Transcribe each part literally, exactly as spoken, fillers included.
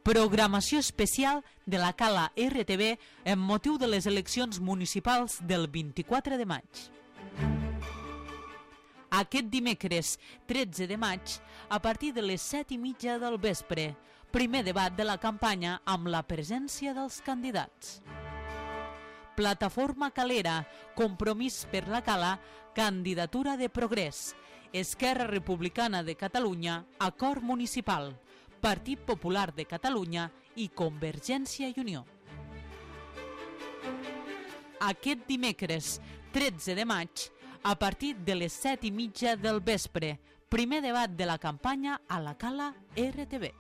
programació especial de la Cala R T V amb motiu de les eleccions municipals del vint-i-quatre de maig. Aquest dimecres tretze de maig, a partir de les set i mitja del vespre, primer debat de la campanya amb la presència dels candidats. Plataforma Calera, Compromís per la Cala, Candidatura de Progrés, Esquerra Republicana de Catalunya, Acord Municipal, Partit Popular de Catalunya i Convergència i Unió. Aquest dimecres tretze de maig, a partir de les set i mitja del vespre, primer debat de la campanya a la Cala R T V.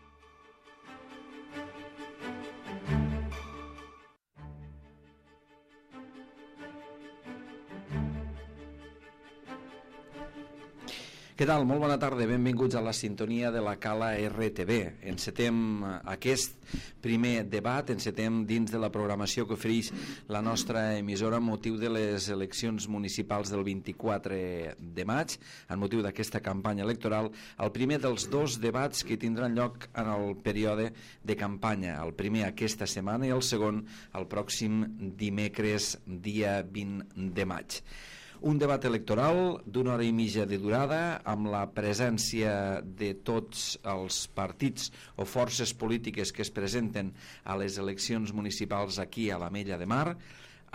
Què tal? Molt bona tarda, benvinguts a la sintonia de la Cala R T V. Encetem aquest primer debat, encetem dins de la programació que ofereix la nostra emissora amb motiu de les eleccions municipals del vint-i-quatre de maig, amb motiu d'aquesta campanya electoral, el primer dels dos debats que tindran lloc en el període de campanya, el primer aquesta setmana i el segon el pròxim dimecres dia vint de maig. Un debat electoral d'una hora i mitja de durada amb la presència de tots els partits o forces polítiques que es presenten a les eleccions municipals aquí a l'Ametlla de Mar,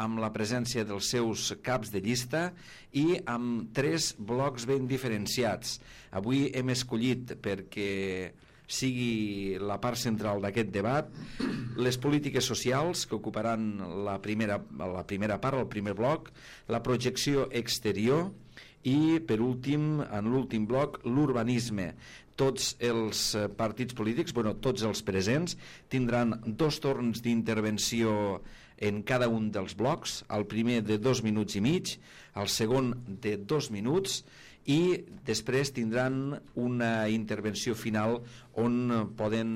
amb la presència dels seus caps de llista i amb tres blocs ben diferenciats. Avui hem escollit perquè sigui la part central d'aquest debat les polítiques socials que ocuparan la primera, la primera part, el primer bloc, la projecció exterior i per últim, en l'últim bloc, l'urbanisme. Tots els partits polítics, bueno, tots els presents tindran dos torns d'intervenció en cada un dels blocs, el primer de dos minuts i mig, el segon de dos minuts i després tindran una intervenció final on poden,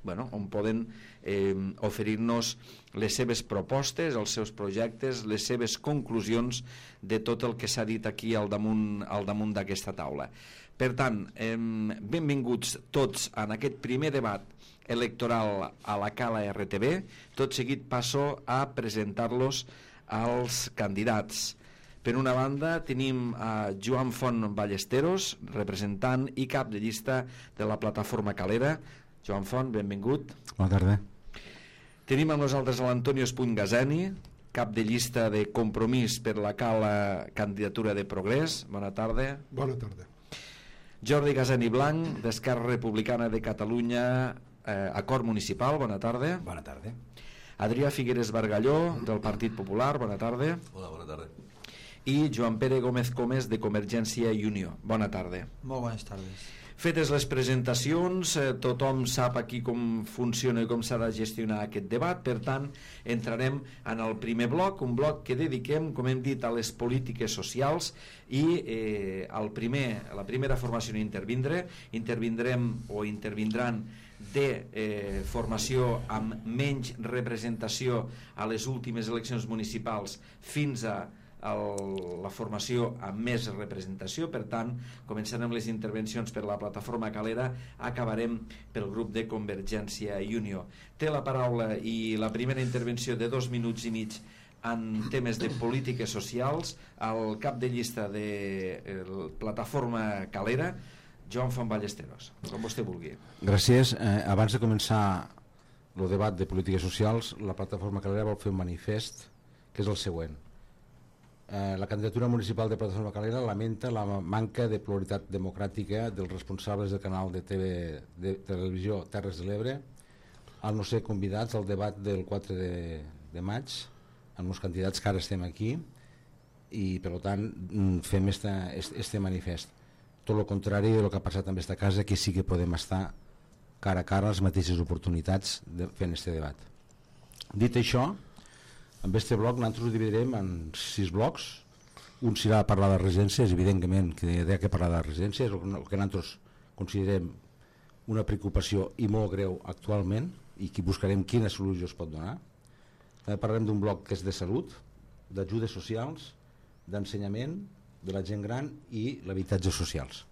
bueno, on poden eh, oferir-nos les seves propostes, els seus projectes, les seves conclusions de tot el que s'ha dit aquí al damunt, al damunt d'aquesta taula. Per tant, eh, benvinguts tots en aquest primer debat electoral a la Cala R T V. Tot seguit passo a presentar-los als candidats. Per una banda tenim a Joan Font Ballesteros, representant i cap de llista de la Plataforma Calera. Joan Font, benvingut. Bona tarda. Tenim amb nosaltres a l'Antonio Espuny Gazani, cap de llista de Compromís per la Cala Candidatura de Progrés. Bona tarda. Bona tarda. Jordi Gazani Blanc, d'Esquerra Republicana de Catalunya, eh, Acord Municipal. Bona tarda. Bona tarda. Adrià Figueres Bargalló, del Partit Popular. Bona tarda. Hola, bona tarda. I Joan Pere Gómez Comes, de Convergència i Unió. Bona tarda. Molt bones tardes. Fetes les presentacions, eh, tothom sap aquí com funciona i com s'ha de gestionar aquest debat. Per tant, entrarem en el primer bloc, un bloc que dediquem, com hem dit, a les polítiques socials i eh, el primer, la primera formació en intervindre, intervindrem o intervindran de eh, formació amb menys representació a les últimes eleccions municipals fins a El, la formació amb més representació. Per tant, començarem les intervencions per la Plataforma Calera, acabarem pel grup de Convergència i Unió. Té la paraula i la primera intervenció de dos minuts i mig en temes de polítiques socials el cap de llista de la Plataforma Calera, Joan Font Ballesteros, com vostè vulgui. Gràcies. Eh, abans de començar el debat de polítiques socials, la Plataforma Calera vol fer un manifest que és el següent. Eh, la candidatura municipal de Plataforma Calera lamenta la manca de pluralitat democràtica dels responsables del canal de, T V, de televisió Terres de l'Ebre al no ser convidats al debat del quatre de maig amb els candidats que ara estem aquí i per tant fem este, este manifest. Tot el contrari del que ha passat en aquesta casa, que sí que podem estar cara a cara les mateixes oportunitats de, fent este debat. Dit això, amb aquest bloc nosaltres ho dividirem en sis blocs. Un serà parlar de residències, evidentment que hi ha que parlar de residències, el que nosaltres considerem una preocupació i molt greu actualment i que buscarem quina solució es pot donar. També parlarem d'un bloc que és de salut, d'ajudes socials, d'ensenyament, de la gent gran i l'habitatge socials.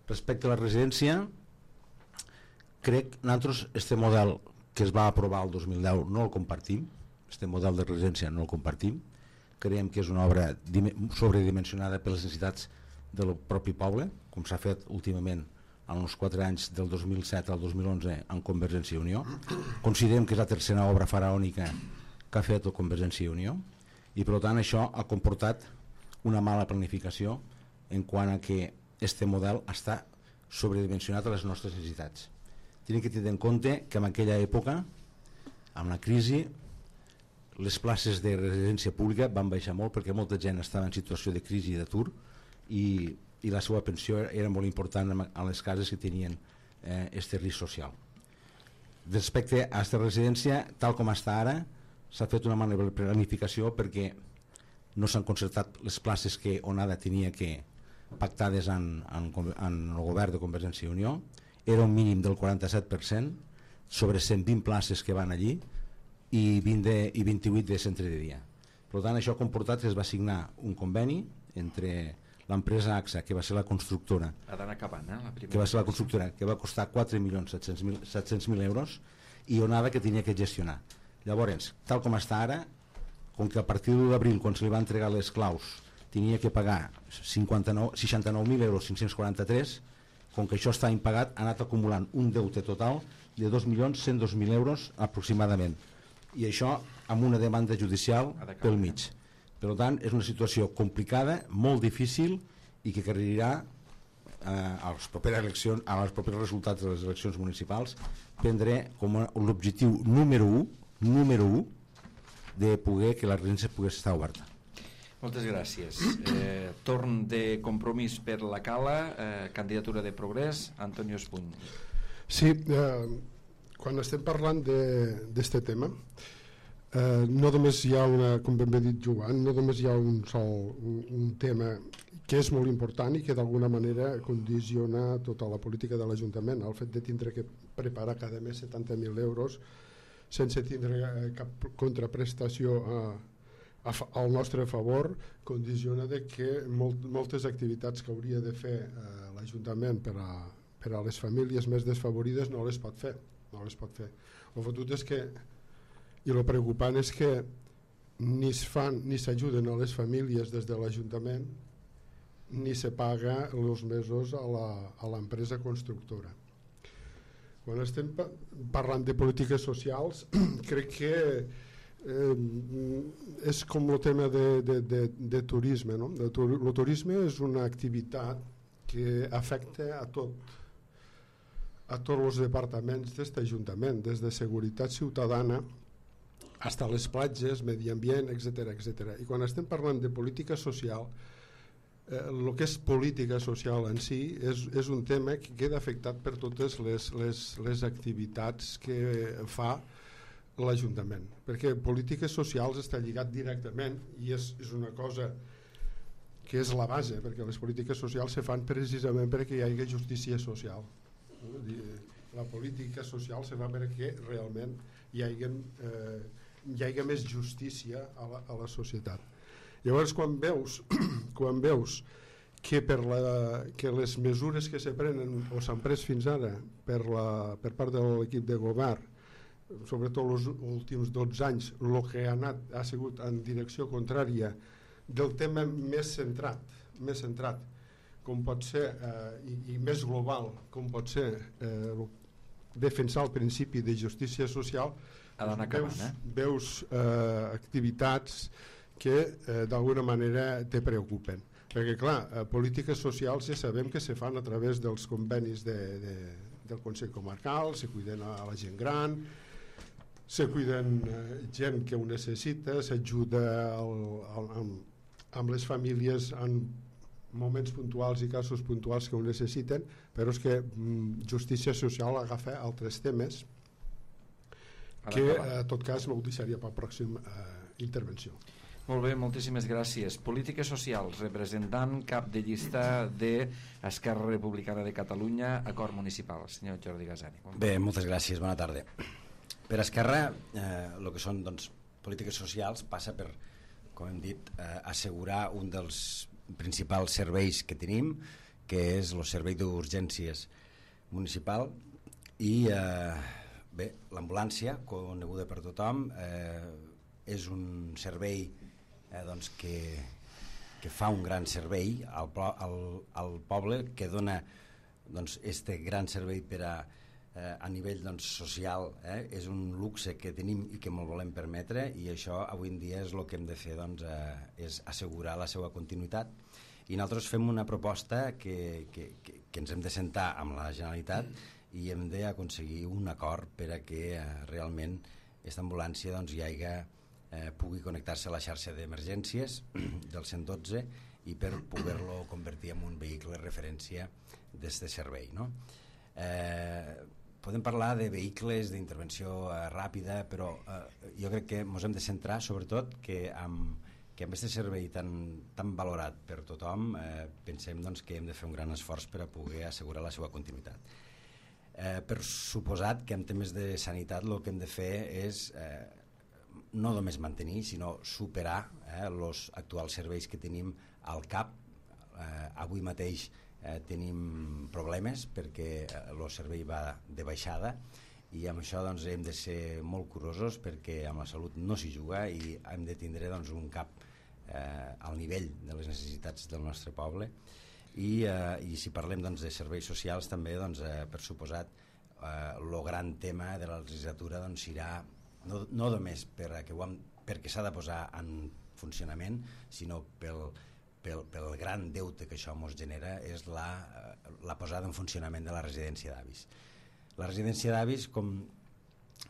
Respecte a la residència, crec que nosaltres este model que es va aprovar el dos mil deu no el compartim, este model de residència no el compartim, creiem que és una obra sobredimensionada per les necessitats del propi poble, com s'ha fet últimament en uns quatre anys del dos mil set al dos mil onze en Convergència i Unió. Considerem que és la tercera obra faraònica que ha fet la Convergència i Unió i per tant això ha comportat una mala planificació en quant a que este model està sobredimensionat a les nostres necessitats. Tenim que tenir en compte que en aquella època, amb la crisi, les places de residència pública van baixar molt perquè molta gent estava en situació de crisi i d'atur i, i la seva pensió era molt important a les cases que tenien eh, este risc social. Respecte a aquesta residència, tal com està ara, s'ha fet una mala planificació perquè no s'han concertat les places que ONADA tenia que pactades en, en, en el govern de Convergència i Unió. Era un mínim del quaranta-set per cent sobre cent vint places que van allí i, vint de, i vint-i-vuit de centre de dia. Per tant, això ha comportat que es va signar un conveni entre l'empresa AXA, que va ser la constructora, ha d'anar acabant, eh, la primera que va ser la constructora, que va costar quatre milions set cents mil euros, i ONADA, que tenia que gestionar. Llavors, tal com està ara, com que a partir de l'abril, quan se li va entregar les claus, tenia que pagar seixanta-nou mil euros cinc-cents quaranta-tres, com que això està impagat, ha anat acumulant un deute total de dos milions cent dos mil euros aproximadament, i això amb una demanda judicial pel mig. Per tant, és una situació complicada, molt difícil i que requerirà eh, a les properes eleccions, a les propers resultats de les eleccions municipals, prendre com l'objectiu número u, número u, de poder que la residència pogués estar oberta. Moltes gràcies. Eh, torn de compromís per la Cala, eh, candidatura de Progrés, Antonio Espuny. Sí, eh, quan estem parlant d'aquest tema, eh, no només hi ha una, com ben bé dit Joan, no només hi ha un sol un, un tema que és molt important i que d'alguna manera condiciona tota la política de l'Ajuntament. El fet de tindre que preparar cada mes setanta mil euros sense tindre cap contraprestació a, a, al nostre favor condiciona de que molt, moltes activitats que hauria de fer eh, l'Ajuntament per a, per a les famílies més desfavorides no les pot fer, no les pot fer. El fotut és que, i el preocupant és que ni es fan ni s'ajuden a les famílies des de l'Ajuntament ni se paga els mesos a l'empresa constructora. Quan estem parlant de polítiques socials, crec que eh, és com el tema de, de, de, de turisme. No? El turisme és una activitat que afecta a tot, a tots els departaments d'aquest Ajuntament, des de seguretat ciutadana fins a les platges, medi ambient, etcètera etcètera. I quan estem parlant de política social, el que és política social en si és, és un tema que queda afectat per totes les, les, les activitats que fa l'Ajuntament, perquè polítiques socials està lligat directament i és, és una cosa que és la base, perquè les polítiques socials se fan precisament perquè hi hagi justícia social. La política social se fa perquè realment hi hagi, eh, hi hagi més justícia a la, a la societat. Llavors quan veus, quan veus que, per la, que les mesures que se prenen o s'han pres fins ara per, la, per part de l'equip de govern, sobretot els últims dotze anys, el que ha anat ha sigut en direcció contrària del tema més centrat, més centrat com pot ser eh, i, i més global com pot ser eh, defensar el principi de justícia social, doncs veus, eh? veus eh, activitats que eh, d'alguna manera te preocupen, perquè clar, eh, polítiques socials ja sabem que se fan a través dels convenis de, de, del Consell Comarcal, se cuiden a la gent gran, se cuiden eh, gent que ho necessita, s'ajuda amb, amb les famílies en moments puntuals i casos puntuals que ho necessiten, però és que mm, justícia social agafa altres temes que en tot cas no ho deixaria per la pròxima eh, intervenció. Molt bé, moltíssimes gràcies. Polítiques socials, representant cap de llista d'Esquerra Republicana de Catalunya, acord municipal, senyor Jordi Gasani. Bé, moltes gràcies, bona tarda. Per Esquerra, eh, el que són doncs, polítiques socials passa per, com hem dit, eh, assegurar un dels principals serveis que tenim, que és el servei d'urgències municipal, I eh, bé, l'ambulància, coneguda per tothom, eh, és un servei eh, doncs que, que fa un gran servei al, al, al poble, que dona doncs, este gran servei per a Eh, a nivell doncs, social, eh, és un luxe que tenim i que molt volem permetre, i això avui en dia és el que hem de fer, doncs, eh, és assegurar la seva continuïtat. I nosaltres fem una proposta que, que, que, que ens hem de sentar amb la Generalitat i hem d'aconseguir un acord per a que eh, realment aquesta ambulància doncs, hi hagi, eh, pugui connectar-se a la xarxa d'emergències del cent dotze i per poder-lo convertir en un vehicle de referència d'aquest servei, no? Eh, podem parlar de vehicles d'intervenció eh, ràpida, però eh, jo crec que ens hem de centrar sobretot que amb, que amb aquest servei tan, tan valorat per tothom eh, pensem doncs, que hem de fer un gran esforç per a poder assegurar la seva continuïtat. Eh, per suposat que en temes de sanitat el que hem de fer és eh, no només mantenir, sinó superar els eh, actuals serveis que tenim al C A P. Eh, avui mateix Eh, tenim problemes perquè el servei va de baixada, i amb això doncs, hem de ser molt curosos perquè amb la salut no s'hi juga i hem de tindre doncs, un C A P eh, al nivell de les necessitats del nostre poble. I, eh, i si parlem doncs, de serveis socials també, doncs, eh, per suposat, el eh, gran tema de la legislatura doncs, serà no, no només per a que ho hem, perquè s'ha de posar en funcionament, sinó pel Pel, pel gran deute que això ens genera, és la, la posada en funcionament de la residència d'avis. La residència d'avis, com,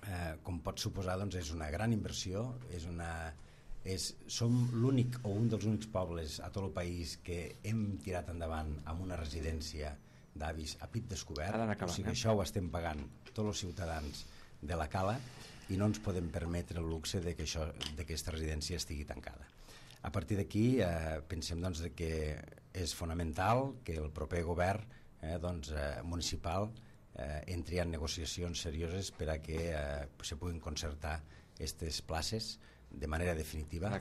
eh, com pot suposar, doncs, és una gran inversió, és una, és, som l'únic o un dels únics pobles a tot el país que hem tirat endavant amb una residència d'avis a pit descobert, acabant, o sigui que això ho estem pagant tots els ciutadans de la Cala i no ens podem permetre el luxe de que, això, de que aquesta residència estigui tancada. A partir d'aquí eh, pensem doncs, que és fonamental que el proper govern eh, doncs, eh, municipal eh, entri en negociacions serioses per a que eh, se puguin concertar aquestes places de manera definitiva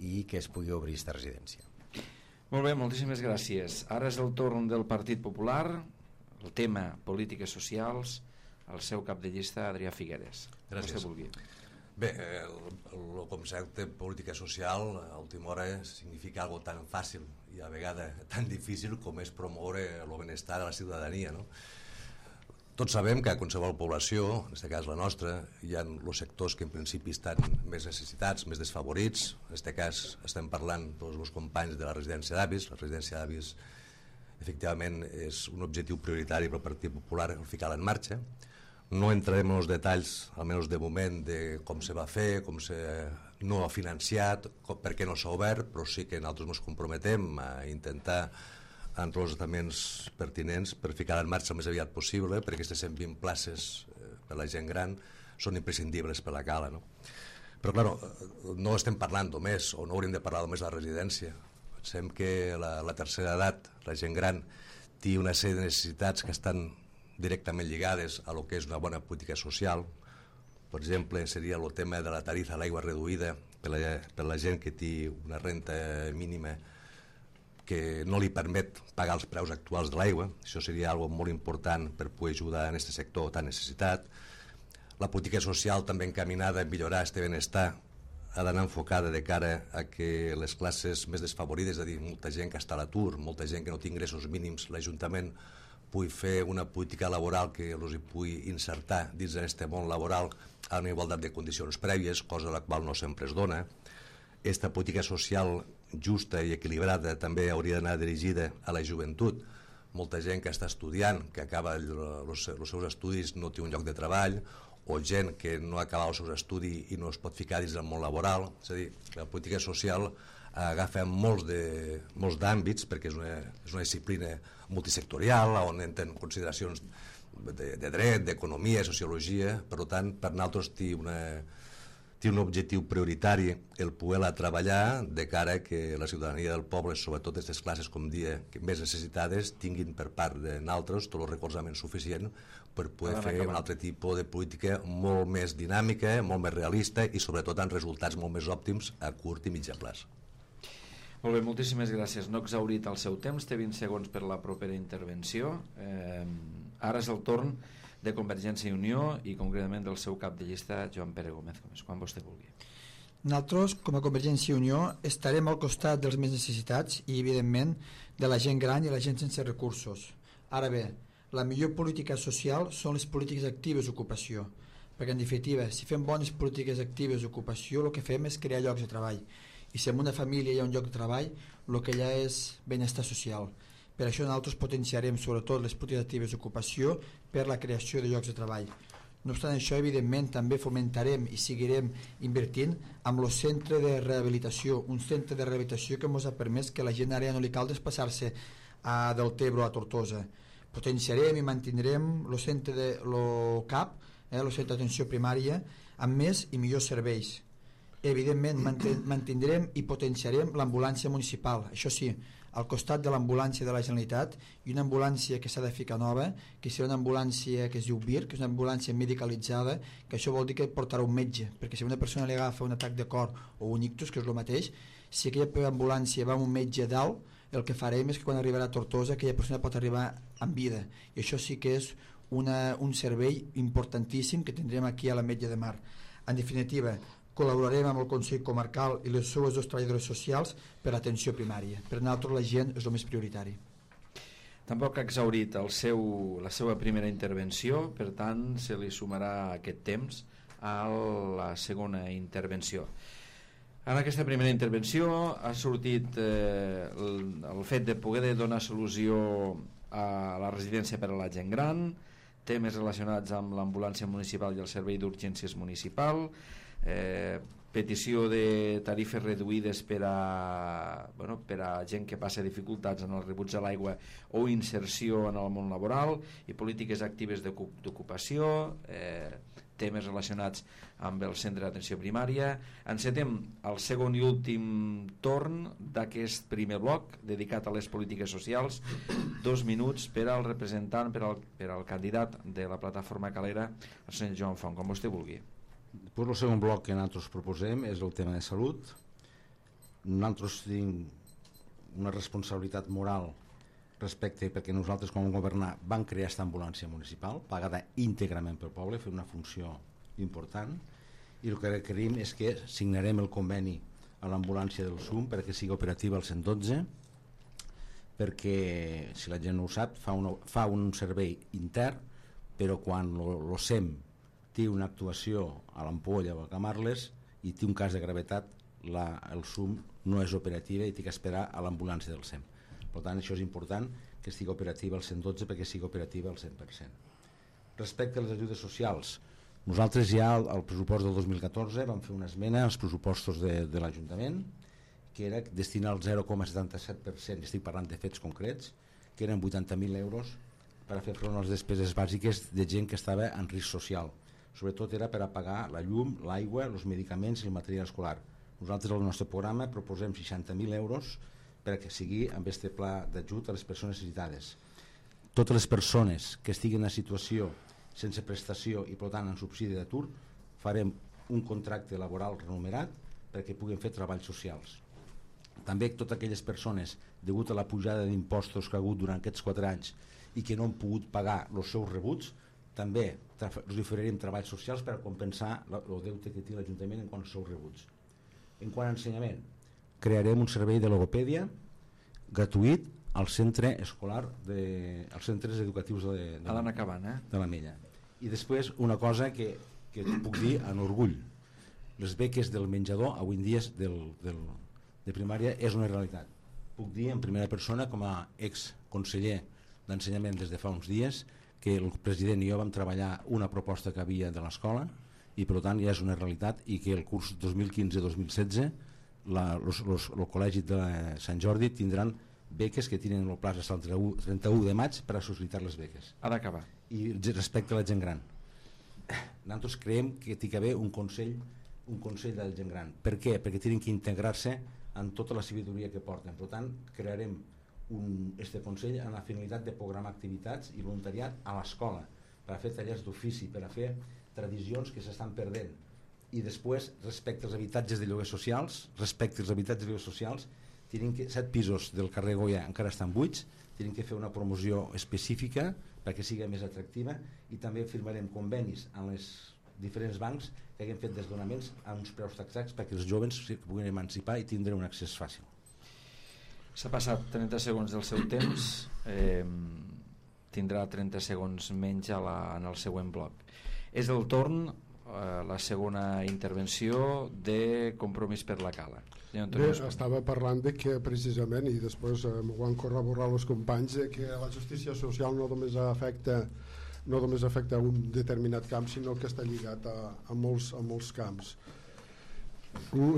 i que es pugui obrir aquesta residència. Molt bé, moltíssimes gràcies. Ara és el torn del Partit Popular, el tema polítiques socials, el seu cap de llista, Adrià Figueres. Gràcies. Bé, el, el concepte política social a última hora significa algo tan fàcil i a vegades tan difícil com és promoure el benestar de la ciutadania, no? Tots sabem que a qualsevol població, en aquest cas la nostra, hi ha els sectors que en principi estan més necessitats, més desfavorits. En aquest cas estem parlant dels meus companys de la residència d'avis. La residència d'avis efectivament és un objectiu prioritari pel Partit Popular el ficar-la en marxa. No entrarem en els detalls, almenys de moment, de com se va fer, com se no ha financiat, com, per què no s'ha obert, però sí que nosaltres ens comprometem a intentar en tots els estaments pertinents per ficar en marxa el més aviat possible, perquè aquestes cent vint places eh, per la gent gran són imprescindibles per la Cala, no? Però, clar, no estem parlant només, o no hauríem de parlar només de la residència. Pensem que la, la tercera edat, la gent gran, té una sèrie de necessitats que estan directament lligades a lo que és una bona política social. Per exemple, seria el tema de la tarifa a l'aigua reduïda per la, per la gent que té una renta mínima que no li permet pagar els preus actuals de l'aigua. Això seria algo molt important per poder ajudar en aquest sector tan necessitat. La política social també encaminada a millorar aquest benestar ha d'anar enfocada de cara a que les classes més desfavorides, és a dir, molta gent que està a l'atur, molta gent que no té ingressos mínims, l'Ajuntament pugui fer una política laboral que els hi pugui insertar dins d'aquest món laboral a una igualtat de condicions prèvies, cosa la qual no sempre es dona. Aquesta política social justa i equilibrada també hauria d'anar dirigida a la joventut. Molta gent que està estudiant, que acaba els seus estudis, no té un lloc de treball, o gent que no ha acabat els seus estudis i no es pot ficar dins del món laboral. És a dir, la política social agafa molts de, molts d'àmbits, perquè és una, és una disciplina multisectorial on entren consideracions de, de dret, d'economia, sociologia. Per tant, per nosaltres té, una, té un objectiu prioritari el poder-la treballar de cara que la ciutadania del poble, sobretot aquestes classes, com dia, que més necessitades, tinguin per part de nosaltres tot el recolzament suficient per poder fer un altre tipus de política molt més dinàmica, molt més realista i sobretot amb resultats molt més òptims a curt i mitjà plaç. Molt bé, moltíssimes gràcies. No exhaurit el seu temps, té vint segons per la propera intervenció. Eh, ara és el torn de Convergència i Unió i concretament del seu cap de llista, Joan Pere Gómez Gómez, quan vostè vulgui. Nosaltres, com a Convergència i Unió, estarem al costat dels més necessitats i, evidentment, de la gent gran i la gent sense recursos. Ara bé, la millor política social són les polítiques actives d'ocupació, perquè, en definitiva, si fem bones polítiques actives d'ocupació, el que fem és crear llocs de treball. I si en una família hi ha un lloc de treball, el que hi ha és benestar social. Per això nosaltres potenciarem sobretot les polítiques actives d'ocupació per la creació de llocs de treball. No obstant això, evidentment, també fomentarem i seguirem invertint amb el centre de rehabilitació, un centre de rehabilitació que ens ha permès que la gent ara ja no li cal desplaçar-se a Deltebre o a Tortosa. Potenciarem i mantindrem el centre de lo C A P, eh, el centre d'atenció primària, amb més i millors serveis. Evidentment, mantindrem i potenciarem l'ambulància municipal, això sí, al costat de l'ambulància de la Generalitat, i una ambulància que s'ha de ficar nova, que serà una ambulància que es diu V I R, que és una ambulància medicalitzada, que això vol dir que portarà un metge, perquè si una persona li agafa un atac de cor o un ictus, que és el mateix, si aquella ambulància va amb un metge dalt, el que farem és que quan arribarà a Tortosa aquella persona pot arribar en vida, i això sí que és una, un servei importantíssim que tindrem aquí a la Metge de Mar. En definitiva, col·laborarem amb el Consell Comarcal i les seues dos treballadores socials per l'atenció primària. Per nosaltres la gent és el més prioritari. Tampoc ha exhaurit el seu, la seva primera intervenció, per tant se li sumarà aquest temps a la segona intervenció. En aquesta primera intervenció ha sortit eh, el, el fet de poder donar solució a la residència per a la gent gran, temes relacionats amb l'ambulància municipal i el servei d'urgències municipal, eh, petició de tarifes reduïdes per a, bueno, per a gent que passa dificultats en el rebuig de l'aigua o inserció en el món laboral, i polítiques actives d'ocupació, eh, temes relacionats amb el centre d'atenció primària. Encetem el segon i últim torn d'aquest primer bloc dedicat a les polítiques socials. Dos minuts per al representant, per al, per al candidat de la plataforma Calera, el senyor Joan Font, com vostè vulgui. Pues el segon bloc que nosaltres proposem és el tema de salut. Nosaltres tenim una responsabilitat moral respecte, perquè nosaltres quan vam governar vam crear aquesta ambulància municipal pagada íntegrament pel poble, fer una funció important, i el que requerim és que signarem el conveni a l'ambulància del S U M perquè sigui operativa al cent dotze, perquè si la gent no ho sap fa, una, fa un servei intern, però quan el S E M té una actuació a l'Ampolla o a Camarles i té un cas de gravetat, la, el S U M no és operativa i té que esperar a l'ambulància del S E M. Per tant, això és important que estigui operativa al cent dotze perquè sigui operativa al cent per cent. Respecte a les ajudes socials, nosaltres ja al, al pressupost del dos mil catorze vam fer una esmena als pressupostos de, de l'Ajuntament, que era destinar el zero coma setanta set per cent, estic parlant de fets concrets, que eren vuitanta mil euros per a fer front a les despeses bàsiques de gent que estava en risc social. Sobretot era per a pagar la llum, l'aigua, els medicaments i el material escolar. Nosaltres al nostre programa proposem seixanta mil euros perquè sigui amb aquest pla d'ajut a les persones necessitades. Totes les persones que estiguin en situació sense prestació i per tant en subsidi d'atur, farem un contracte laboral remunerat perquè puguin fer treballs socials. També totes aquelles persones, degut a la pujada d'impostos que ha hagut durant aquests quatre anys i que no han pogut pagar els seus rebuts, també els oferirem treballs socials per a compensar el deute que té l'Ajuntament en quant als seus rebuts. En quant a ensenyament, crearem un servei de logopèdia gratuït al centre escolar de, als centres educatius de, de, a l'anar acabant, eh? de la Mella. I després una cosa que, que puc dir en orgull, les beques del menjador avui en dia del, del, de primària és una realitat. Puc dir en primera persona, com a exconseller d'ensenyament des de fa uns dies, que el president i jo vam treballar una proposta que havia de l'escola i per tant ja és una realitat, i que el curs dos mil quinze dos mil setze La, los, los, el col·legi de Sant Jordi tindran beques que tenen el pla fins al trenta u de maig per a sol·licitar les beques. Ha d'acabar. I respecte a la gent gran, nosaltres creiem que hi ha d'haver un consell un consell de la gent gran. Per què? Perquè tenen que integrar-se en tota la sabidoria que porten. Per tant, crearem un, este consell amb la finalitat de programar activitats i voluntariat a l'escola per a fer tallers d'ofici, per a fer tradicions que s'estan perdent. I després, respecte als habitatges de lloguers socials, respecte als habitatges de lloguers socials, tenen que, set pisos del carrer Goya encara estan buits, tenen que fer una promoció específica perquè sigui més atractiva, i també firmarem convenis amb els diferents bancs que haguem fet desdonaments a uns preus taxats perquè els joves es puguin emancipar i tindre un accés fàcil. S'ha passat trenta segons del seu temps, eh, tindrà trenta segons menys a la, en el següent bloc. És el torn, eh, la segona intervenció de Compromís per la Cala. Bé, estava parlant de que precisament, i després eh, m'ho han corroborat els companys, eh, que la justícia social no només afecta no només afecta un determinat camp, sinó que està lligat a, a, molts, a molts camps.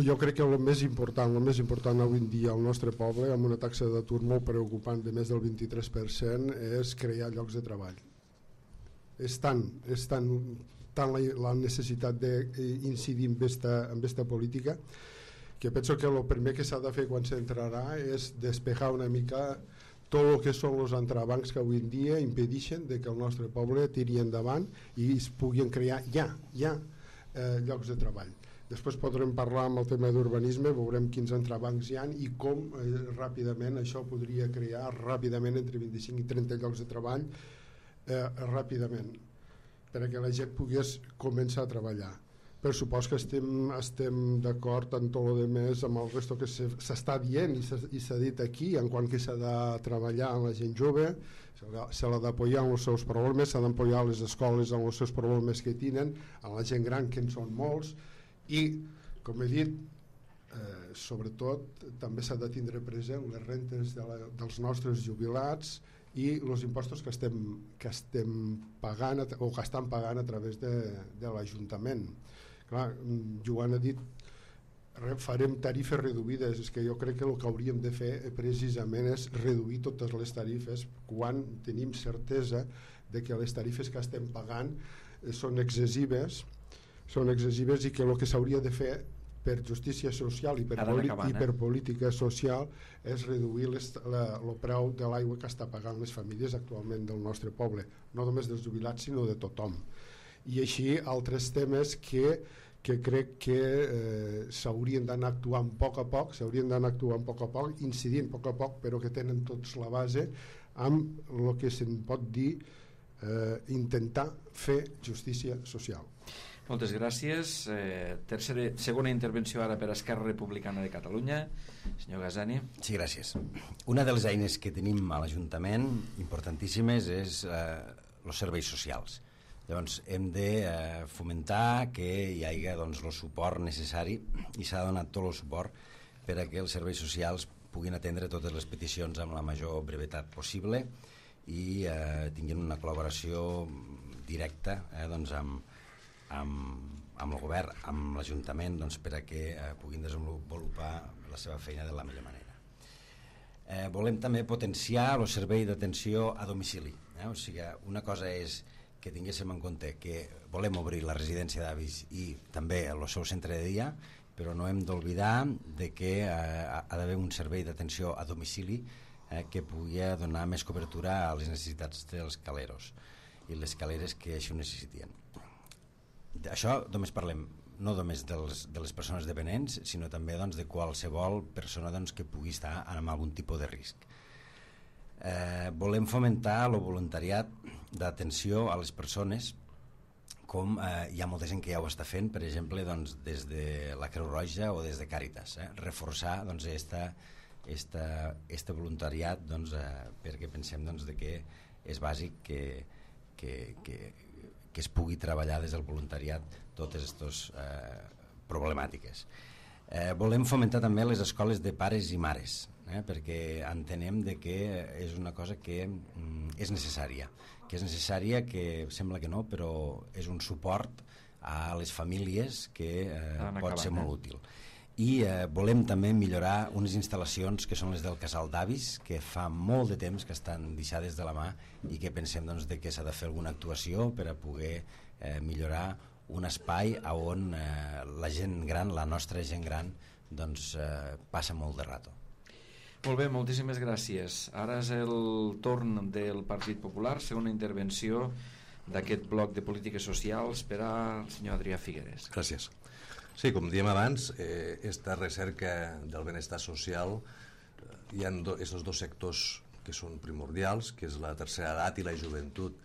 Jo crec que el més important, el més important avui en dia al nostre poble, amb una taxa d'atur molt preocupant de més del vint-i-tres per cent, és crear llocs de treball. És tant, és tant, tant la, la necessitat d'incidir en aquesta, en aquesta política, que penso que el primer que s'ha de fer quan s'entrarà és despejar una mica tot el que són els entrebancs que avui en dia impedeixen de que el nostre poble tiri endavant i es puguin crear ja, ja eh, llocs de treball. Després podrem parlar amb el tema d'urbanisme, veurem quins entrebancs hi ha i com eh, ràpidament això podria crear ràpidament entre vint-i-cinc i trenta llocs de treball eh, ràpidament, perquè la gent pogués començar a treballar. Per supost que estem, estem d'acord en tot el demés amb el resto que s'està dient i s'ha dit aquí, en quant que s'ha de treballar amb la gent jove, se l'ha d'apoyar en els seus problemes, s'ha d'apoyar les escoles en els seus problemes que tenen, amb la gent gran que en són molts, i com he dit, eh, sobretot també s'ha de tindre present les rentes de la, dels nostres jubilats i els impostos que estem, que estem pagant o que estan pagant a través de, de l'Ajuntament. Clar, Joan ha dit farem tarifes reduïdes, és que jo crec que el que hauríem de fer precisament és reduir totes les tarifes quan tenim certesa de que les tarifes que estem pagant són excessives, són excessives i que el que s'hauria de fer per justícia social i per, acabant, i per eh? política social és reduir les, la, el preu de l'aigua que està pagant les famílies actualment del nostre poble, no només dels jubilats sinó de tothom. I així altres temes que, que crec que eh, s'haurien d'anar actuant a poc a poc, s'haurien d'anar actuant a poc a poc, incidint a poc a poc, però que tenen tots la base amb el que se'n pot dir eh, intentar fer justícia social. Moltes gràcies. Eh, tercera, segona intervenció ara per Esquerra Republicana de Catalunya. Senyor Gasani. Sí, gràcies. Una de les eines que tenim a l'Ajuntament, importantíssimes, és eh, els serveis socials. Llavors hem de eh, fomentar que hi hagi doncs, el suport necessari i s'ha donat tot el suport per a que els serveis socials puguin atendre totes les peticions amb la major brevetat possible i eh, tinguin una col·laboració directa eh, doncs, amb, amb, amb el govern, amb l'Ajuntament, doncs, per a que eh, puguin desenvolupar la seva feina de la millor manera. Eh, volem també potenciar el servei d'atenció a domicili. Eh? O sigui, una cosa és que tinguéssim en compte que volem obrir la residència d'avis i també el seu centre de dia, però no hem d'oblidar de que eh, ha d'haver un servei d'atenció a domicili eh, que pugui donar més cobertura a les necessitats dels caleros i les caleres que així ho necessitien. Això només parlem no només dels, de les persones dependents, sinó també doncs, de qualsevol persona doncs, que pugui estar amb algun tipus de risc. Eh, volem fomentar el voluntariat d'atenció a les persones, com eh, hi ha molta gent que ja ho està fent, per exemple doncs, des de la Creu Roja o des de Càritas, eh? reforçar doncs, esta, esta, este voluntariat doncs, eh, perquè pensem doncs, de que és bàsic que, que, que, que es pugui treballar des del voluntariat totes aquestes eh, problemàtiques. Eh, volem fomentar també les escoles de pares i mares, eh, perquè entenem de que és una cosa que mm, és necessària, que és necessària, que sembla que no, però és un suport a les famílies que eh, pot ser molt útil. I eh, volem també millorar unes instal·lacions que són les del Casal d'Avis, que fa molt de temps que estan deixades de la mà i que pensem doncs, de que s'ha de fer alguna actuació per a poder eh, millorar un espai on eh, la gent gran, la nostra gent gran, doncs, eh, passa molt de rato. Molt bé, moltíssimes gràcies. Ara és el torn del Partit Popular, segona intervenció d'aquest bloc de polítiques socials per al senyor Adrià Figueres. Gràcies. Sí, com diem abans, eh, esta recerca del benestar social, eh, hi ha do, estos dos sectors que són primordials, que és la tercera edat i la joventut.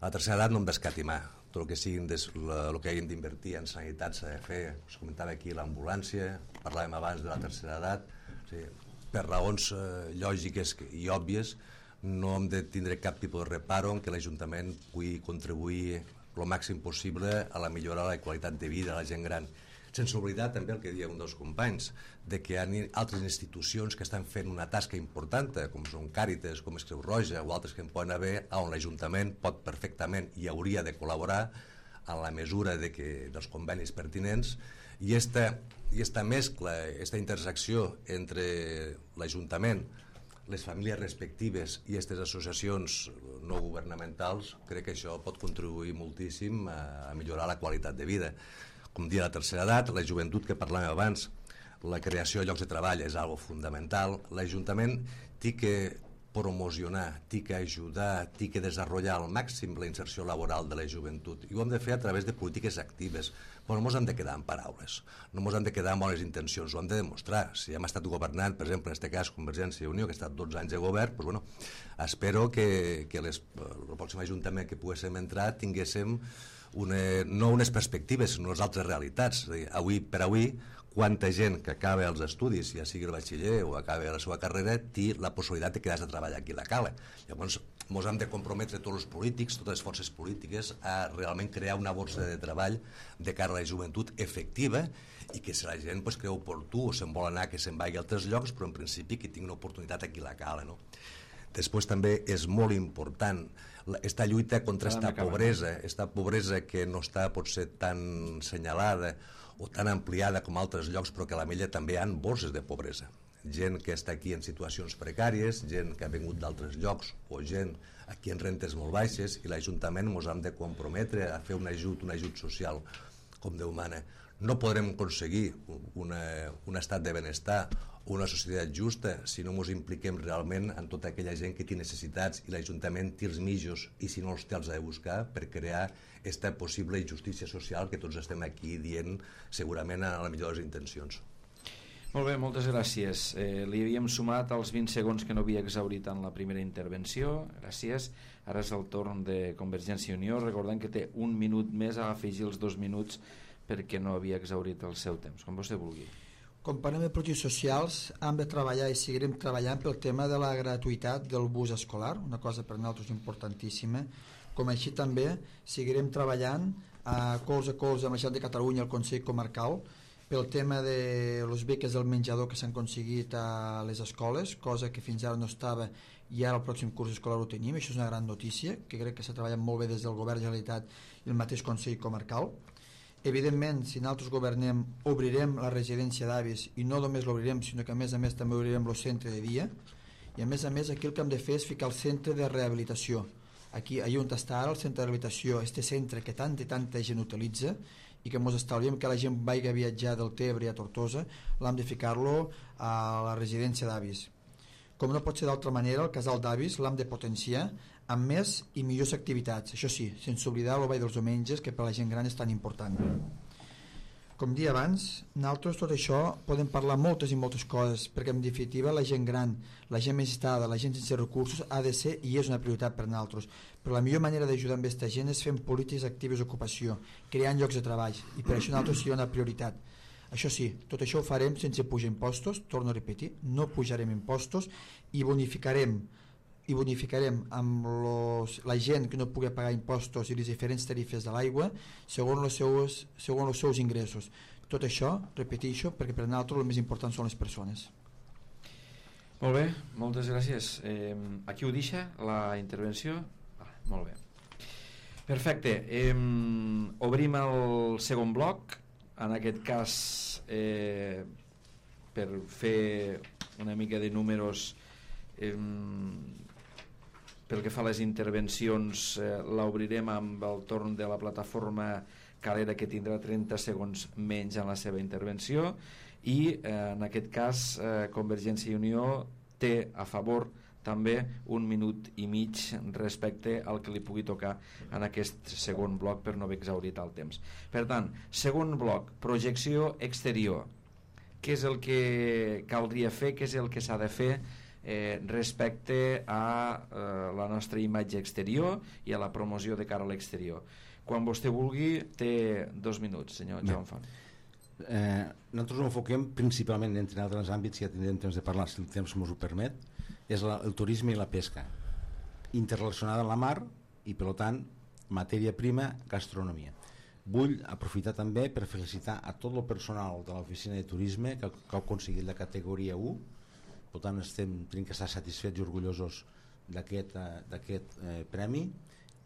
A la tercera edat no hem d'escatimar, tot el que siguin des, la, el que hagin d'invertir en sanitat s'ha de fer. Us comentava aquí l'ambulància, parlàvem abans de la tercera edat, o sigui, per raons eh, lògiques i òbvies no hem de tindre cap tipus de reparo en que l'Ajuntament pugui contribuir el màxim possible a la millora de la qualitat de vida de la gent gran. Sense oblidar també el que deia un dels companys, de que hi ha altres institucions que estan fent una tasca important, com són Càritas, com és Creu Roja o altres que en poden haver, on l'Ajuntament pot perfectament i hauria de col·laborar en la mesura de que, dels convenis pertinents, i esta, i esta mescla, esta intersecció entre l'Ajuntament, les famílies respectives i aquestes associacions no governamentals, crec que això pot contribuir moltíssim a, a millorar la qualitat de vida. Com dia la tercera edat, la joventut que parlàvem abans, la creació de llocs de treball és algo fundamental. L'Ajuntament té que promocionar, té que ajudar, té que desenvolupar al màxim la inserció laboral de la joventut, i ho hem de fer a través de polítiques actives. Però no ens hem de quedar en paraules, no ens hem de quedar en bones intencions, ho hem de demostrar. Si hem estat governant, per exemple, en aquest cas Convergència i Unió, que ha estat dotze anys de govern, doncs, bueno, espero que, que les, el pròxim Ajuntament que poguéssim entrar tinguéssim una, no unes perspectives, sinó les altres realitats. És a dir, avui per avui, quanta gent que acaba els estudis, ja sigui el batxiller o acaba la seva carrera, té la possibilitat de quedar-se a treballar aquí a la Cala. Llavors, ens hem de comprometre tots els polítics, totes les forces polítiques, a realment crear una borsa de treball de cara a la joventut efectiva, i que si la gent pues, creu oportú o se'n vol anar, que se'n vagi a altres llocs, però en principi que tingui una oportunitat aquí a la Cala, no? Després també és molt important esta lluita contra esta pobresa, esta pobresa que no està potser tan senyalada o tan ampliada com altres llocs, però que a la Mella també hi ha borses de pobresa. Gent que està aquí en situacions precàries, gent que ha vingut d'altres llocs o gent aquí en rentes molt baixes, i l'Ajuntament ens hem de comprometre a fer un ajut, un ajut social com Déu mana. No podrem aconseguir una, un estat de benestar o una societat justa si no ens impliquem realment en tota aquella gent que té necessitats, i l'Ajuntament té els mitjos, i si no els té els ha de buscar per crear aquesta possible injustícia social que tots estem aquí dient segurament a la millor de les intencions. Molt bé, moltes gràcies. Eh, li havíem sumat els vint segons que no havia exhaurit en la primera intervenció. Gràcies. Ara és el torn de Convergència i Unió, recordant que té un minut més a afegir els dos minuts perquè no havia exhaurit el seu temps, com vostè vulgui. Com parlem de polítiques socials, hem de treballar i seguirem treballant pel tema de la gratuïtat del bus escolar, una cosa per nosaltres importantíssima, com així també seguirem treballant a colze a colze amb la Generalitat de Catalunya i el Consell Comarcal pel tema de les beques del menjador que s'han aconseguit a les escoles, cosa que fins ara no estava i ara el pròxim curs escolar ho tenim. Això és una gran notícia, que crec que s'ha treballat molt bé des del Govern de la Generalitat i el mateix Consell Comarcal. Evidentment, si nosaltres governem, obrirem la residència d'avis, i no només l'obrirem, sinó que a més a més també obrirem el centre de dia, i a més a més aquí el que hem de fer és ficar el centre de rehabilitació. Aquí, allà on està ara el centre de rehabilitació, este centre que tanta i tanta gent utilitza, i que ens estalviem que la gent vagi a viatjar del Tebre a Tortosa, l'hem de ficar-lo a la residència d'avis. Com no pot ser d'altra manera, el casal d'avis l'hem de potenciar amb més i millors activitats, això sí, sense oblidar el ball dels diumenges, que per la gent gran és tan important. Com dia abans, nosaltres tot això podem parlar moltes i moltes coses, perquè en definitiva la gent gran, la gent més estada, la gent sense recursos ha de ser i és una prioritat per nosaltres, però la millor manera d'ajudar amb aquesta gent és fent polítiques actives d'ocupació, creant llocs de treball, i per això nosaltres serà una prioritat. Això sí, tot això ho farem sense pujar impostos, torno a repetir, no pujarem impostos i bonificarem i bonificarem amb los, la gent que no pugui pagar impostos i les diferents tarifes de l'aigua segons els seus, segons els seus ingressos. Tot això, repeteixo, perquè per nosaltres el més important són les persones. Molt bé, moltes gràcies. Eh, aquí ho deixa la intervenció? Ah, molt bé. Perfecte. Eh, obrim el segon bloc, en aquest cas eh, per fer una mica de números. Eh, pel que fa a les intervencions, eh, l'obrirem amb el torn de la plataforma Calera, que tindrà trenta segons menys en la seva intervenció, i eh, en aquest cas eh, Convergència i Unió té a favor també un minut i mig respecte al que li pugui tocar en aquest segon bloc per no haver exhaurit el temps. Per tant, segon bloc, projecció exterior. Què és el que caldria fer, què és el que s'ha de fer eh, respecte a eh, la nostra imatge exterior i a la promoció de cara a l'exterior. Quan vostè vulgui, té dos minuts, senyor Joan Font. Eh, nosaltres ho enfoquem principalment entre altres àmbits, ja tindrem temps de parlar si el temps ens ho permet, és la, el turisme i la pesca interrelacionada amb la mar i per tant matèria prima, gastronomia. Vull aprofitar també per felicitar a tot el personal de l'oficina de turisme que, que ha aconseguit la categoria u, per tant estem, tenim que estar satisfets i orgullosos d'aquest eh, premi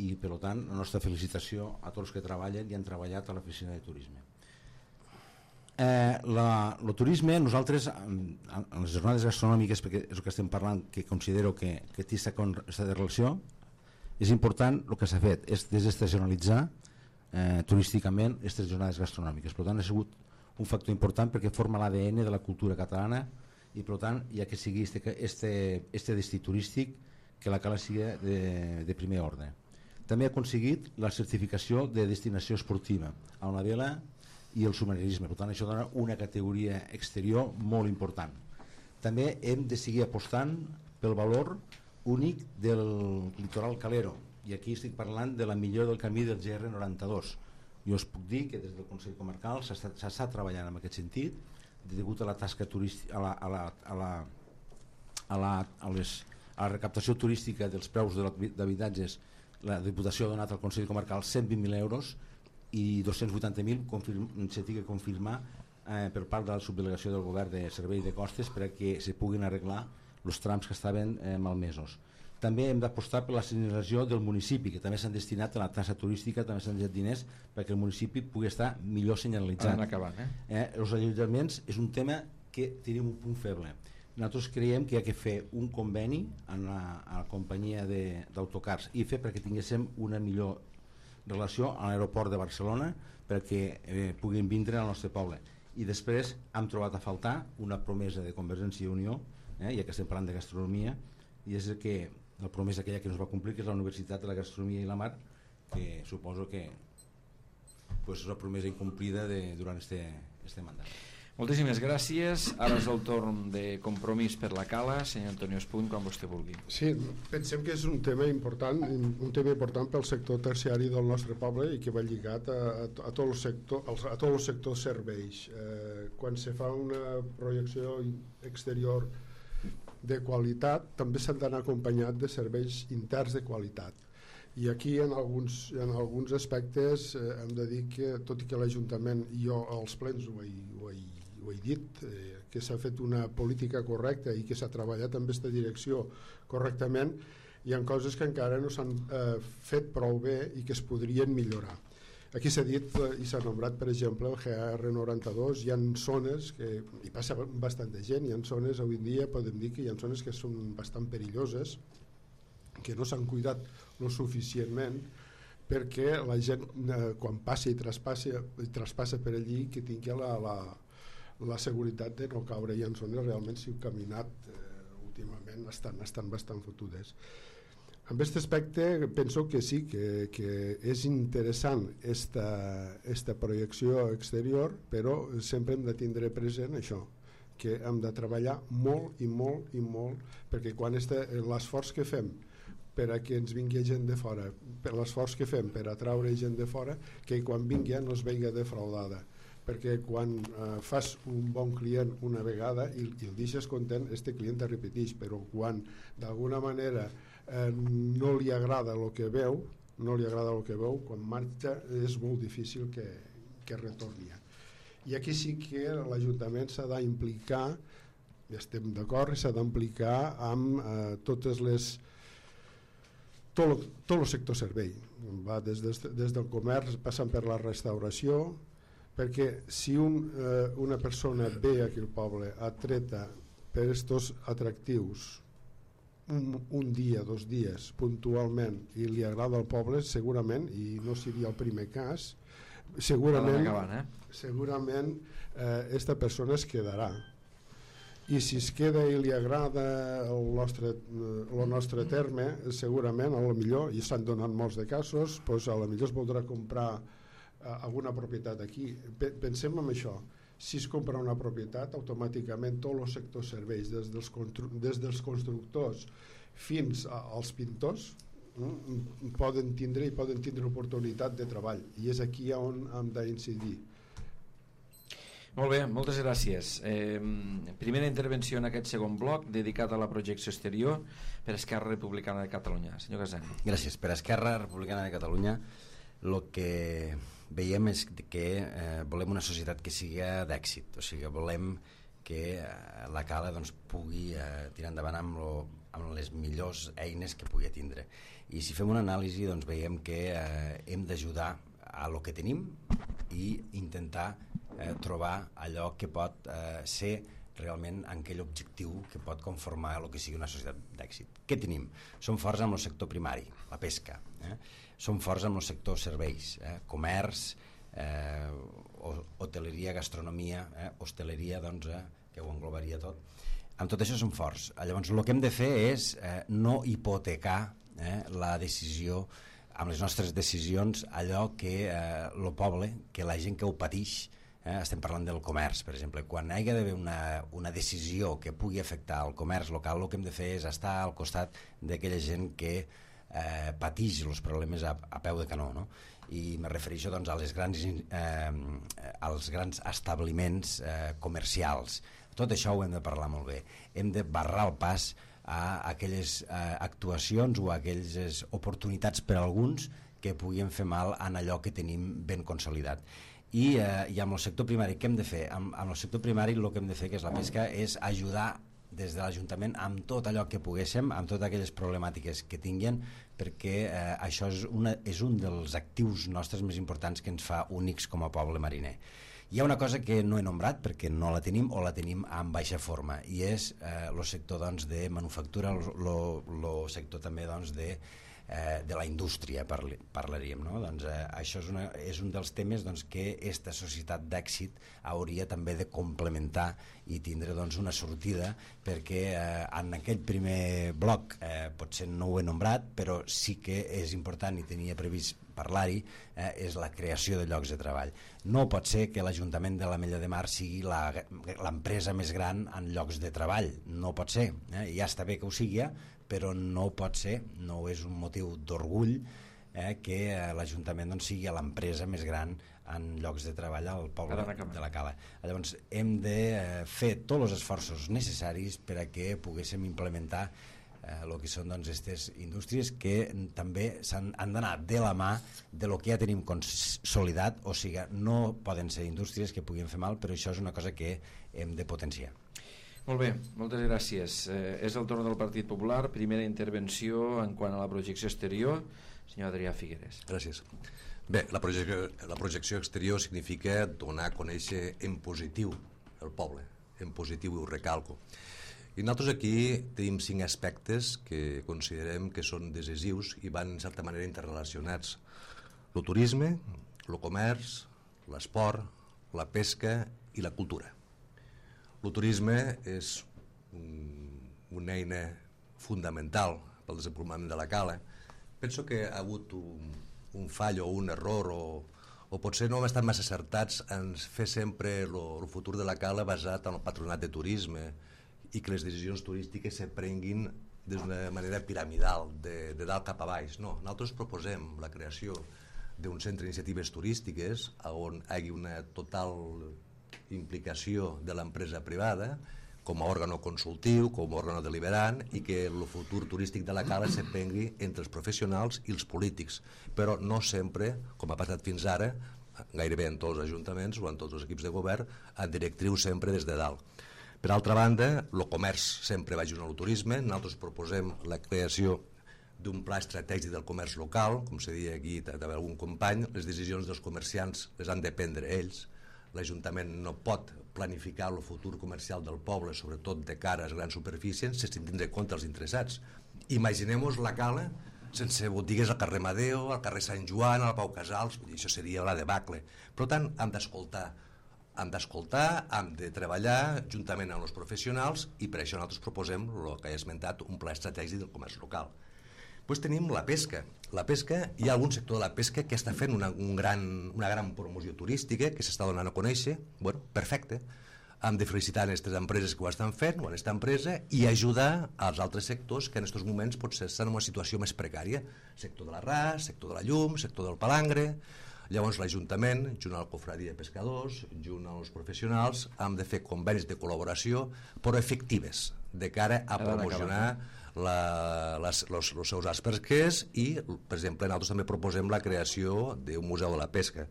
i per tant la nostra felicitació a tots els que treballen i han treballat a l'oficina de turisme. Eh, la, el turisme, nosaltres en, en les jornades gastronòmiques, perquè és el que estem parlant, que considero que, que té aquesta relació, és important el que s'ha fet, és desestacionalitzar eh, turísticament aquestes jornades gastronòmiques. Per tant ha sigut un factor important perquè forma l'A D N de la cultura catalana i per tant hi ha que sigui este, este, este destí turístic que la cala sigui de, de primer ordre. També ha aconseguit la certificació de destinació esportiva a una vela i el submarinisme, per tant això dona una categoria exterior molt important. També hem de seguir apostant pel valor únic del litoral calero i aquí estic parlant de la millora del camí del G R noranta-dos. Jo us puc dir que des del Consell Comarcal s'està treballant en aquest sentit degut a la tasca turística, a la, a la, a la, a la, a les, a la recaptació turística dels preus d'habitatges. La Diputació ha donat al Consell Comarcal cent vint mil euros i dos-cents vuitanta mil s'ha de confirmar eh, per part de la subdelegació del govern de servei de costes perquè se puguin arreglar els trams que estaven eh, malmesos. També hem d'apostar per la senyalització del municipi, que també s'han destinat a la taxa turística, també s'han destinat diners perquè el municipi pugui estar millor senyalitzat. Acabant, eh? Eh, els allotjaments és un tema que tenim un punt feble. Nosaltres creiem que hi ha que fer un conveni amb la, a la companyia d'autocars i fer perquè tinguéssim una millor relació a l'aeroport de Barcelona perquè eh, puguin vindre al nostre poble. I després hem trobat a faltar una promesa de Convergència i Unió, eh, ja que estem parlant de gastronomia, i és que la promesa aquella que no es va complir, que és la Universitat de la Gastronomia i la Mar, que suposo que pues, és una promesa incomplida de, durant este, este mandat. Moltíssimes gràcies. Ara és el torn de Compromís per la Cala. Senyor Antonio Espuny, quan vostè vulgui. Sí, pensem que és un tema important, un tema important pel sector terciari del nostre poble i que va lligat a, a, a tot el sector, a tot el sector serveis. Eh, quan se fa una projecció exterior de qualitat, també s'han d'anar acompanyat de serveis interns de qualitat. I aquí en alguns, en alguns aspectes eh, hem de dir que, tot i que l'Ajuntament, jo als plens ho he, ho he ho he dit, eh, que s'ha fet una política correcta i que s'ha treballat en aquesta direcció correctament, hi ha coses que encara no s'han eh, fet prou bé i que es podrien millorar. Aquí s'ha dit eh, i s'ha nombrat, per exemple, el G R noranta-dos, hi ha zones que hi passa bastanta gent, hi ha zones, avui en dia podem dir que hi ha zones que són bastant perilloses, que no s'han cuidat lo suficientment perquè la gent eh, quan passa i traspassa, i traspassa per allí que tingui la, la la seguretat de no caure i en zones realment si heu caminat eh, últimament estan, estan bastant fotudes. En aquest aspecte penso que sí que, que és interessant esta, esta projecció exterior, però sempre hem de tindre present això, que hem de treballar molt i molt i molt perquè quan l'esforç que fem per a que ens vingui gent de fora, per l'esforç que fem per atraure gent de fora, que quan vingui no es vegi defraudada, perquè quan eh, fas un bon client una vegada i, i el deixes content, este client te repeteix, però quan d'alguna manera eh, no li agrada el que veu, no li agrada el que veu, quan marxa és molt difícil que, que retorni. I aquí sí que l'Ajuntament s'ha d'implicar, i estem d'acord, s'ha d'implicar amb eh, totes les tot, tot el sector servei, va des, des, des del comerç passant per la restauració, perquè si un, eh, una persona ve aquí al poble atreta per estos atractius un, un dia, dos dies puntualment i li agrada al poble segurament, i no seria el primer cas, segurament acabant, eh? segurament eh, esta persona es quedarà, i si es queda i li agrada el nostre, el nostre terme segurament a lo millor, i s'han donat molts de casos, doncs a lo millor es voldrà comprar alguna propietat aquí. Pensem en això, Si es compra una propietat, automàticament tots els sectors serveis, des dels, des dels constructors fins als pintors, mm, poden tindre i poden tindre oportunitat de treball, i és aquí on hem d'incidir. Molt bé, moltes gràcies. Eh, primera intervenció en aquest segon bloc dedicat a la projecció exterior per Esquerra Republicana de Catalunya. Senyor Casani. Gràcies. Per Esquerra Republicana de Catalunya el que veiem és que eh, volem una societat que sigui d'èxit, o sigui, volem que eh, la Cala doncs, pugui eh, tirar endavant amb, lo, amb les millors eines que pugui tindre. I si fem una anàlisi doncs, veiem que eh, hem d'ajudar a lo que tenim i intentar eh, trobar allò que pot eh, ser realment aquell objectiu que pot conformar el que sigui una societat d'èxit. Què tenim? Som forts amb el sector primari, la pesca, eh? Som forts amb el sector serveis, eh? comerç, eh, hoteleria, gastronomia, eh? hostaleria, doncs, eh? que ho englobaria tot. Amb tot això som forts. Llavors, el que hem de fer és eh, no hipotecar eh, la decisió, amb les nostres decisions, allò que eh, el poble, que la gent que ho patix, eh, estem parlant del comerç, per exemple, quan hi ha d'haver una, una decisió que pugui afectar el comerç local, el que hem de fer és estar al costat d'aquella gent que eh, patix els problemes a, a peu de canó, no? I me refereixo doncs, a les grans, eh, als grans establiments eh, comercials. Tot això ho hem de parlar molt bé. Hem de barrar el pas a aquelles eh, actuacions o a aquelles oportunitats per a alguns que puguin fer mal en allò que tenim ben consolidat. I, eh, i amb el sector primari, què hem de fer? Amb, amb el sector primari el que hem de fer, que és la pesca, és ajudar des de l'Ajuntament amb tot allò que poguéssim, amb totes aquelles problemàtiques que tinguin, perquè eh, això és, una, és un dels actius nostres més importants que ens fa únics com a poble mariner. Hi ha una cosa que no he nombrat perquè no la tenim o la tenim en baixa forma, i és el eh, sector doncs, de manufactura, el sector també doncs, de Eh, de la indústria parli, parlaríem, no? Doncs, eh, això és, una, és un dels temes doncs, que aquesta societat d'èxit hauria també de complementar i tindre doncs, una sortida, perquè eh, en aquell primer bloc eh, potser no ho he nombrat, però sí que és important i tenia previst parlar-hi, eh, és la creació de llocs de treball. No pot ser que l'Ajuntament de l'Ametlla de Mar sigui l'empresa més gran en llocs de treball, no pot ser, eh? Ja està bé que ho sigui, però no pot ser, no és un motiu d'orgull eh, que eh, l'Ajuntament doncs, sigui l'empresa més gran en llocs de treball al poble de la Cala. Llavors hem de eh, fer tots els esforços necessaris per a que poguéssim implementar el eh, que són doncs, aquestes indústries que també han d'anar de la mà de lo que ja tenim consolidat, o sigui, no poden ser indústries que puguin fer mal, però això és una cosa que hem de potenciar. Molt bé, moltes gràcies. Eh, és el torn del Partit Popular. Primera intervenció en quant a la projecció exterior. Senyor Adrià Figueres. Gràcies. Bé, la projecció, la projecció exterior significa donar a conèixer en positiu el poble, en positiu, i ho recalco. I nosaltres aquí tenim cinc aspectes que considerem que són decisius i van en certa manera interrelacionats. El turisme, el comerç, l'esport, la pesca i la cultura. El turisme és una eina fundamental pel desenvolupament de la Cala. Penso que ha hagut un, un fall o un error o, o potser no hem estat massa acertats en fer sempre el futur de la Cala basat en el patronat de turisme i que les decisions turístiques se prenguin d'una manera piramidal, de, de dalt cap a baix. No, nosaltres proposem la creació d'un centre d'iniciatives turístiques on hi hagi una total implicació de l'empresa privada com a òrgano consultiu, com a òrgano deliberant, i que el futur turístic de la Cala se prengui entre els professionals i els polítics, però no sempre, com ha passat fins ara, gairebé en tots els ajuntaments o en tots els equips de govern, en directriu sempre des de dalt. Per altra banda, el comerç sempre va junt al turisme. Nosaltres proposem la creació d'un pla estratègic del comerç local, com se deia aquí d'algun company. Les decisions dels comerciants les han de prendre ells. L'Ajuntament no pot planificar el futur comercial del poble, sobretot de cara a les grans superfícies, sense tindre en compte els interessats. Imaginem-nos la Cala sense botigues al carrer Madeo, al carrer Sant Joan, al Pau Casals, això seria la debacle. Per tant, hem d'escoltar, hem d'escoltar, hem de treballar juntament amb els professionals, i per això nosaltres proposem el que he esmentat, un pla estratègic del comerç local. Després tenim la pesca. La pesca, hi ha algun sector de la pesca que està fent una, un gran, una gran promoció turística, que s'està donant a conèixer. Bueno, perfecte. Hem de felicitar aquestes empreses que ho estan fent, o aquesta empresa, i ajudar als altres sectors que en aquests moments potser estan en una situació més precària. Sector de l'arràs, sector de la llum, sector del palangre. Llavors l'Ajuntament, junt a la Cofradia de Pescadors, junt als professionals, hem de fer convenis de col·laboració, però efectives, de cara a promocionar la, les, los, els seus arts pesquers i, per exemple, nosaltres també proposem la creació d'un museu de la pesca.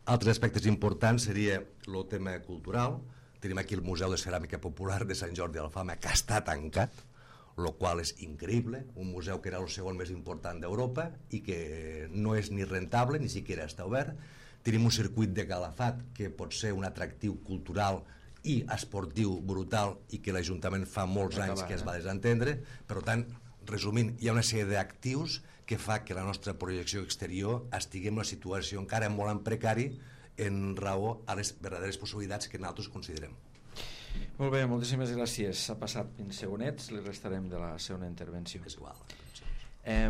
Altres aspectes importants seria el tema cultural. Tenim aquí el Museu de Ceràmica Popular de Sant Jordi d'Alfama, que està tancat, el qual és increïble, un museu que era el segon més important d'Europa i que no és ni rentable, ni siquiera està obert. Tenim un circuit de Calafat que pot ser un atractiu cultural i esportiu brutal i que l'Ajuntament fa molts anys que es va desentendre. Per tant, resumint, hi ha una sèrie d'actius que fa que la nostra projecció exterior estigui en una situació encara molt en precari en raó a les verdaderes possibilitats que nosaltres considerem. Molt bé, moltíssimes gràcies. S'ha passat vint segonets, li restarem de la segona intervenció. És igual. Eh,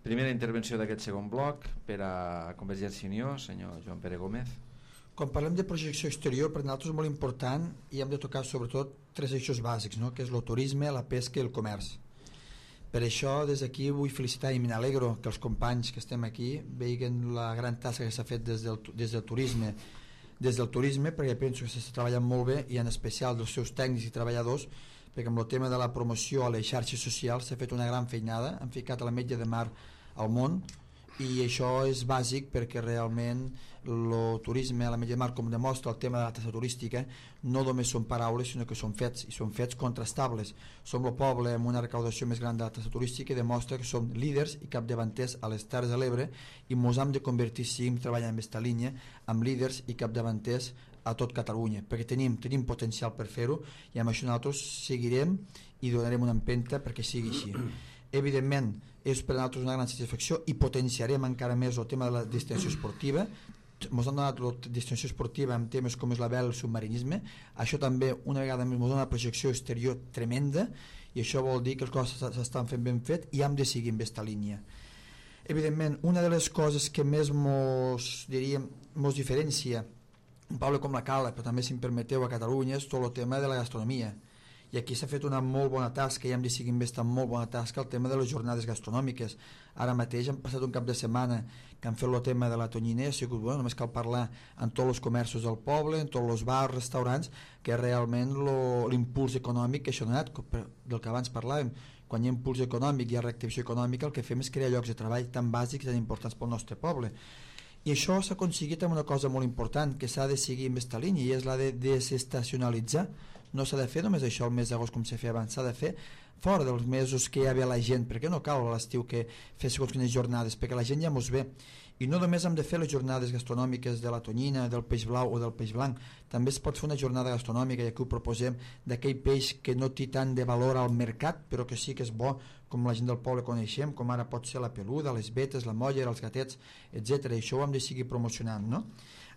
primera intervenció d'aquest segon bloc per a Convergència i Unió, senyor Joan Pere Gómez. Quan parlem de projecció exterior, per nosaltres és molt important i hem de tocar sobretot tres eixos bàsics, no? Que és el turisme, la pesca i el comerç. Per això, des d'aquí vull felicitar i m'alegro que els companys que estem aquí veiguen la gran tasca que s'ha fet des del, des del turisme, des del turisme, perquè penso que s'està treballant molt bé, i en especial dels seus tècnics i treballadors, perquè amb el tema de la promoció a les xarxes socials s'ha fet una gran feinada, han ficat a la metge de mar al món, i això és bàsic perquè realment el turisme a la metge de mar, com demostra el tema de la taxa turística, no només són paraules sinó que són fets, i són fets contrastables. Som el poble amb una recaudació més gran de la taxa turística i demostra que som líders i capdavanters a les Terres de l'Ebre, i mos hem de convertir, si seguim treballant en aquesta línia, amb líders i capdavanters a tot Catalunya, perquè tenim, tenim potencial per fer-ho, i amb això nosaltres seguirem i donarem una empenta perquè sigui així. Evidentment, és per a nosaltres una gran satisfacció i potenciarem encara més el tema de la destinació esportiva. Ens han donat la destinació esportiva amb temes com és la vela i el submarinisme. Això també, una vegada més, ens dona una projecció exterior tremenda, i això vol dir que les coses s'estan fent ben fet i hem de seguir en aquesta línia. Evidentment, una de les coses que més mos, diríem, mos diferencia un poble com la Cala, però també, si em permeteu, a Catalunya, és tot el tema de la gastronomia. I aquí s'ha fet una molt bona tasca i hem de seguir investant molt bona tasca el tema de les jornades gastronòmiques. Ara mateix hem passat un cap de setmana que han fet el tema de la tonyina, ha sigut bueno, només cal parlar en tots els comerços del poble, en tots els bars, restaurants, que realment l'impuls econòmic que això ha donat, del que abans parlàvem. Quan hi ha impuls econòmic i hi ha reactivació econòmica, el que fem és crear llocs de treball tan bàsics i tan importants pel nostre poble. I això s'ha aconseguit amb una cosa molt important, que s'ha de seguir en aquesta línia, i és la de desestacionalitzar. No s'ha de fer només això el mes d'agost com s'ha fet abans, s'ha de fer fora dels mesos que ja ve la gent, perquè no cal a l'estiu que fer segons quines jornades, perquè la gent ja mos ve. I no només hem de fer les jornades gastronòmiques de la tonyina, del peix blau o del peix blanc, també es pot fer una jornada gastronòmica, i aquí ho proposem, d'aquell peix que no té tant de valor al mercat, però que sí que és bo, com la gent del poble coneixem, com ara pot ser la peluda, les vetes, la molla, els gatets, etcètera. I això ho hem de seguir promocionant, no?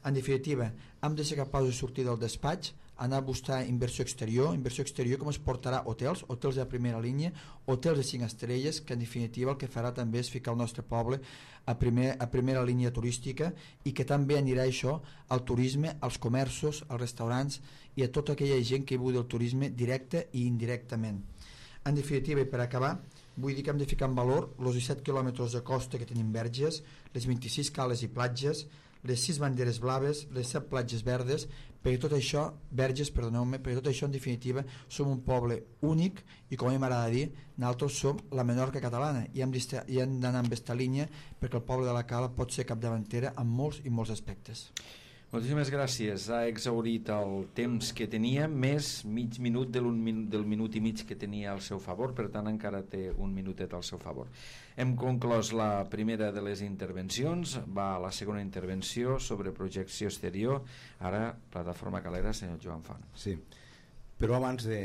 En definitiva, hem de ser capaços de sortir del despatx, anar a buscar inversió exterior, inversió exterior com es portarà hotels, hotels de primera línia, hotels de cinc estrelles, que en definitiva el que farà també és ficar el nostre poble a, primer, a primera línia turística, i que també anirà això al turisme, als comerços, als restaurants i a tota aquella gent que viu del turisme directe i indirectament. En definitiva, i per acabar, vull dir que hem de ficar en valor els disset quilòmetres de costa que tenim verges, les vint-i-sis cales i platges, les sis banderes blaves, les set platges verdes, perquè tot això, verges, perdoneu-me, perquè tot això en definitiva som un poble únic, i com a mi m'agrada dir, nosaltres som la Menorca catalana, i hem d'anar en aquesta línia perquè el poble de la Cala pot ser capdavantera en molts i molts aspectes. Moltíssimes gràcies. Ha exhaurit el temps que tenia, més mig minut del, minut del minut i mig que tenia al seu favor, per tant encara té un minutet al seu favor. Hem conclòs la primera de les intervencions, va a la segona intervenció sobre projecció exterior, ara Plataforma Calera, senyor Joan Font. Sí, però abans de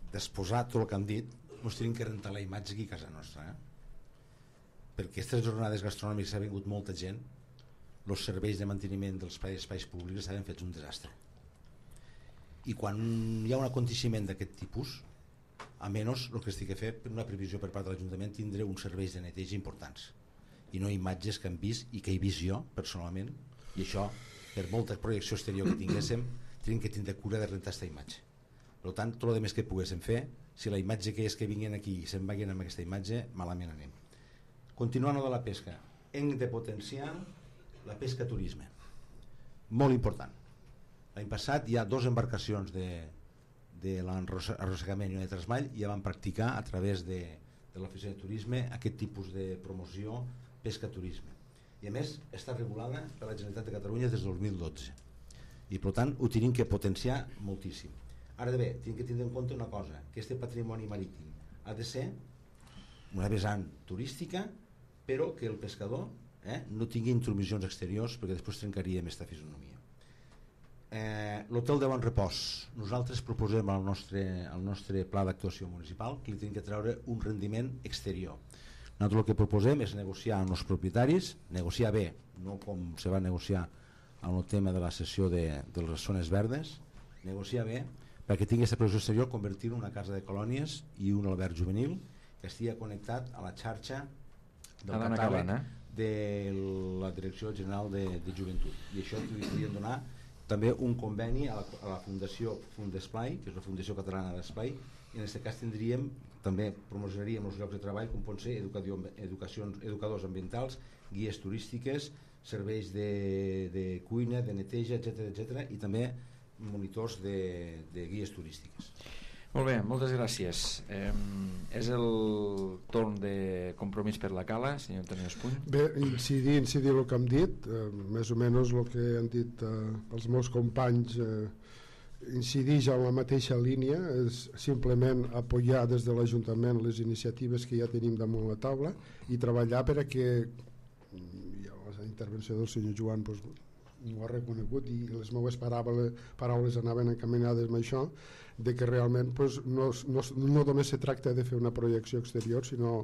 d'exposar tot el que han dit, ens tenim que rentar la imatge aquí a casa nostra, eh? Perquè aquestes jornades gastronòmiques ha vingut molta gent, els serveis de manteniment dels espais públics estaven fets un desastre, i quan hi ha un aconteciment d'aquest tipus a menys el que estic a fer per una previsió per part de l'Ajuntament tindre uns serveis de neteja importants i no imatges que hem vist i que he vist jo personalment, i això per molta projecció exterior que tinguéssim tenim que tindre cura de rentar aquesta imatge. Per tant, tot el més que poguéssim fer, si la imatge que és que vinguin aquí i se'n vagin amb aquesta imatge, malament anem. Continuant de la pesca, hem de potenciar la pesca turisme, molt important. L'any passat hi ha dues embarcacions de, de l'arrossegament i de trasmall i ja van practicar a través de, de l'oficina de turisme aquest tipus de promoció pesca-turisme, i a més està regulada per la Generalitat de Catalunya des del dos mil dotze i per tant ho tenim que potenciar moltíssim. Ara bé, tenim que tindre en compte una cosa, que este patrimoni marítim ha de ser una vessant turística, però que el pescador eh, no tingui intromissions exteriors, perquè després trencaríem aquesta fisonomia. Eh, l'hotel de Bon Repòs, nosaltres proposem al nostre, al nostre pla d'actuació municipal que li tenim que treure un rendiment exterior. Nosaltres el que proposem és negociar amb els propietaris, negociar bé, no com se va negociar en el tema de la cessió de, de les zones verdes, negociar bé perquè tingui aquesta producció exterior, convertir-ho en una casa de colònies i un alberg juvenil que estigui connectat a la xarxa del catàleg de la Direcció General de, de Joventut, i això li podríem donar també un conveni a la, a la Fundació Fundesplai, que és la Fundació Catalana d'Esplai, i en aquest cas tindríem, també promocionaríem els llocs de treball com pot ser educadors ambientals, guies turístiques, serveis de, de cuina, de neteja, etcètera, etcètera, i també monitors de, de guies turístiques. Molt bé, moltes gràcies. Eh, és el torn de Compromís per la Cala, senyor Antonio Espuny. Bé, incidir, incidir el que hem dit, eh, més o menys el que han dit eh, els meus companys, eh, incideix en la mateixa línia, és simplement apoyar des de l'Ajuntament les iniciatives que ja tenim damunt la taula i treballar per a que, ja la intervenció del senyor Joan doncs, ho ha reconegut i les meves paraules, paraules anaven encaminades amb això, de que realment doncs, no, no, no només se tracta de fer una projecció exterior, sinó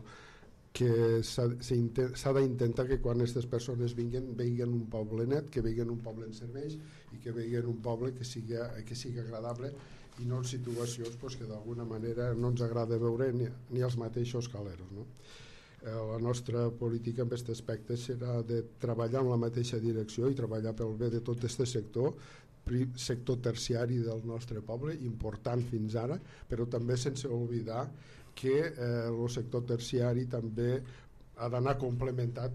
que s'ha d'intentar que quan aquestes persones vinguin, vegin un poble net, que vegin un poble en serveis i que vegin un poble que sigui, que sigui agradable i no en situacions pues, que d'alguna manera no ens agrada veure ni, ni els mateixos caleros, no? Eh, la nostra política en aquest aspecte serà de treballar en la mateixa direcció i treballar pel bé de tot aquest sector, sector terciari del nostre poble, important fins ara, però també sense oblidar que eh, el sector terciari també ha d'anar complementat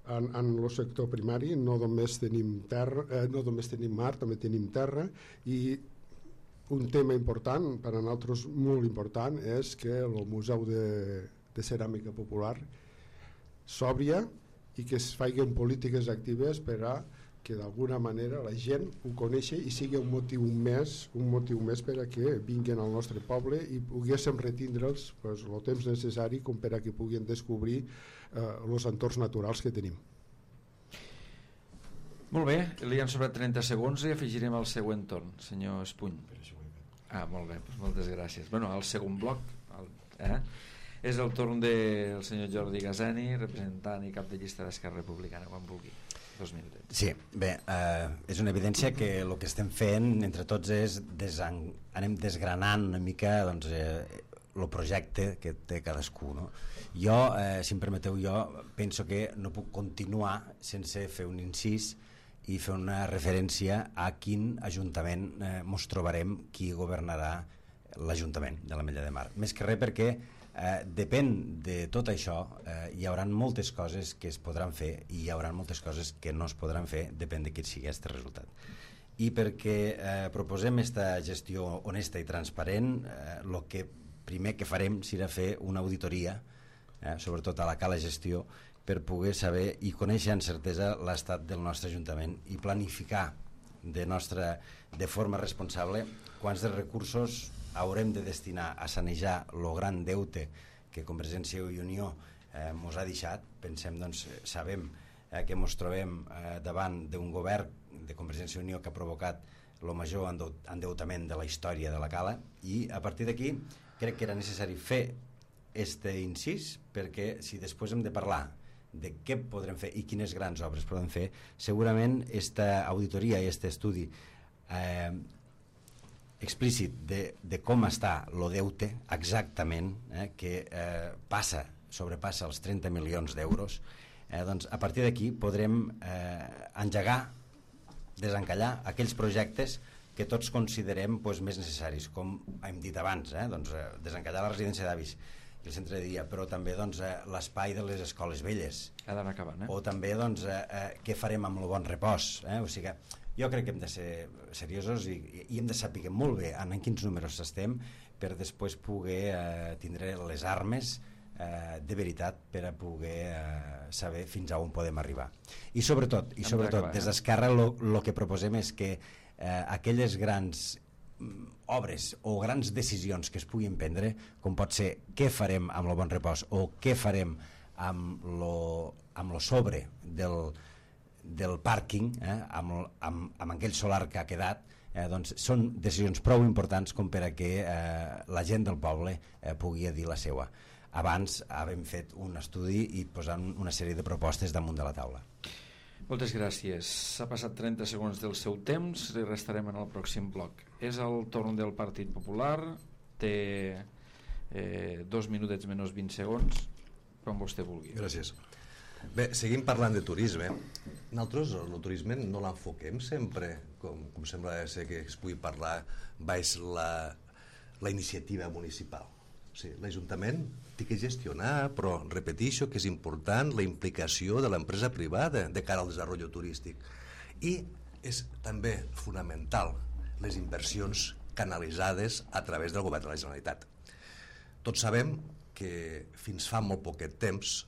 en, en el sector primari. No només tenim terra, eh, no només tenim mar, també tenim terra, i un tema important, per a nosaltres molt important, és que el Museu de, de Ceràmica Popular s'obria i que es facin polítiques actives per a que d'alguna manera la gent ho coneixi i sigui un motiu més, un motiu més per a que vinguin al nostre poble i poguéssim retindre'ls pues, el temps necessari com per a que puguin descobrir els eh, entorns naturals que tenim. Molt bé, li han sobrat trenta segons i afegirem el següent torn, senyor Espuny. Ah, molt bé, doncs moltes gràcies. Bueno, el segon bloc el, eh, és el torn del senyor Jordi Gazani, representant i cap de llista d'Esquerra Republicana, quan vulgui. Sí, bé, eh, és una evidència que el que estem fent entre tots és desan... anem desgranant una mica doncs, eh, el projecte que té cadascú, no? Jo, eh, si em permeteu, jo penso que no puc continuar sense fer un incís i fer una referència a quin ajuntament eh, mos trobarem qui governarà l'Ajuntament de l'Ametlla de Mar. Més que res perquè Eh, depèn de tot això, eh, hi haurà moltes coses que es podran fer i hi haurà moltes coses que no es podran fer, depèn de quin sigui aquest resultat. I perquè eh, proposem aquesta gestió honesta i transparent, el eh, que primer que farem serà fer una auditoria, eh, sobretot a la cala gestió, per poder saber i conèixer amb certesa l'estat del nostre Ajuntament i planificar de, nostra, de forma responsable quants de recursos haurem de destinar a sanejar el gran deute que Convergència i Unió eh, mos ha deixat. Pensem, doncs, sabem eh, que mos trobem eh, davant d'un govern de Convergència i Unió que ha provocat el major endeutament de la història de la Cala, i a partir d'aquí crec que era necessari fer este incís, perquè si després hem de parlar de què podrem fer i quines grans obres podem fer, segurament esta auditoria i este estudi eh, explícit de, de com està el deute exactament, eh, que eh, passa, sobrepassa els trenta milions d'euros, eh, doncs a partir d'aquí podrem eh, engegar, desencallar aquells projectes que tots considerem pues, més necessaris, com hem dit abans, eh, doncs, eh, desencallar la residència d'avis i el centre de dia, però també doncs, eh, l'espai de les escoles velles. Ha d'anar acabant, eh? O també doncs, eh, eh, què farem amb el bon repòs. Eh? O sigui, jo crec que hem de ser seriosos i, i hem de saber molt bé en quins números estem per després poder eh, tindre les armes eh, de veritat per a poder eh, saber fins a on podem arribar. I sobretot, i sobretot des d'Esquerra el que proposem és que eh, aquelles grans obres o grans decisions que es puguin prendre, com pot ser què farem amb el bon repòs o què farem amb lo, amb lo sobre del, del pàrquing, eh, amb, amb, amb aquell solar que ha quedat, eh, doncs són decisions prou importants com per a que eh, la gent del poble eh, pugui dir la seva. Abans havem fet un estudi i posant una sèrie de propostes damunt de la taula. Moltes gràcies. S'ha passat trenta segons del seu temps, li restarem en el pròxim bloc. És el torn del Partit Popular, té eh, dos minutets menys vint segons, quan vostè vulgui. Gràcies. Bé, seguim parlant de turisme. Nosaltres el turisme no l'enfoquem sempre, com, com sembla ser que es pugui parlar, baix la, la iniciativa municipal. O sigui, l'Ajuntament té que gestionar, però repeteixo que és important la implicació de l'empresa privada de cara al desenvolupament turístic. I és també fonamental les inversions canalitzades a través del govern de la Generalitat. Tots sabem que fins fa molt poquet temps,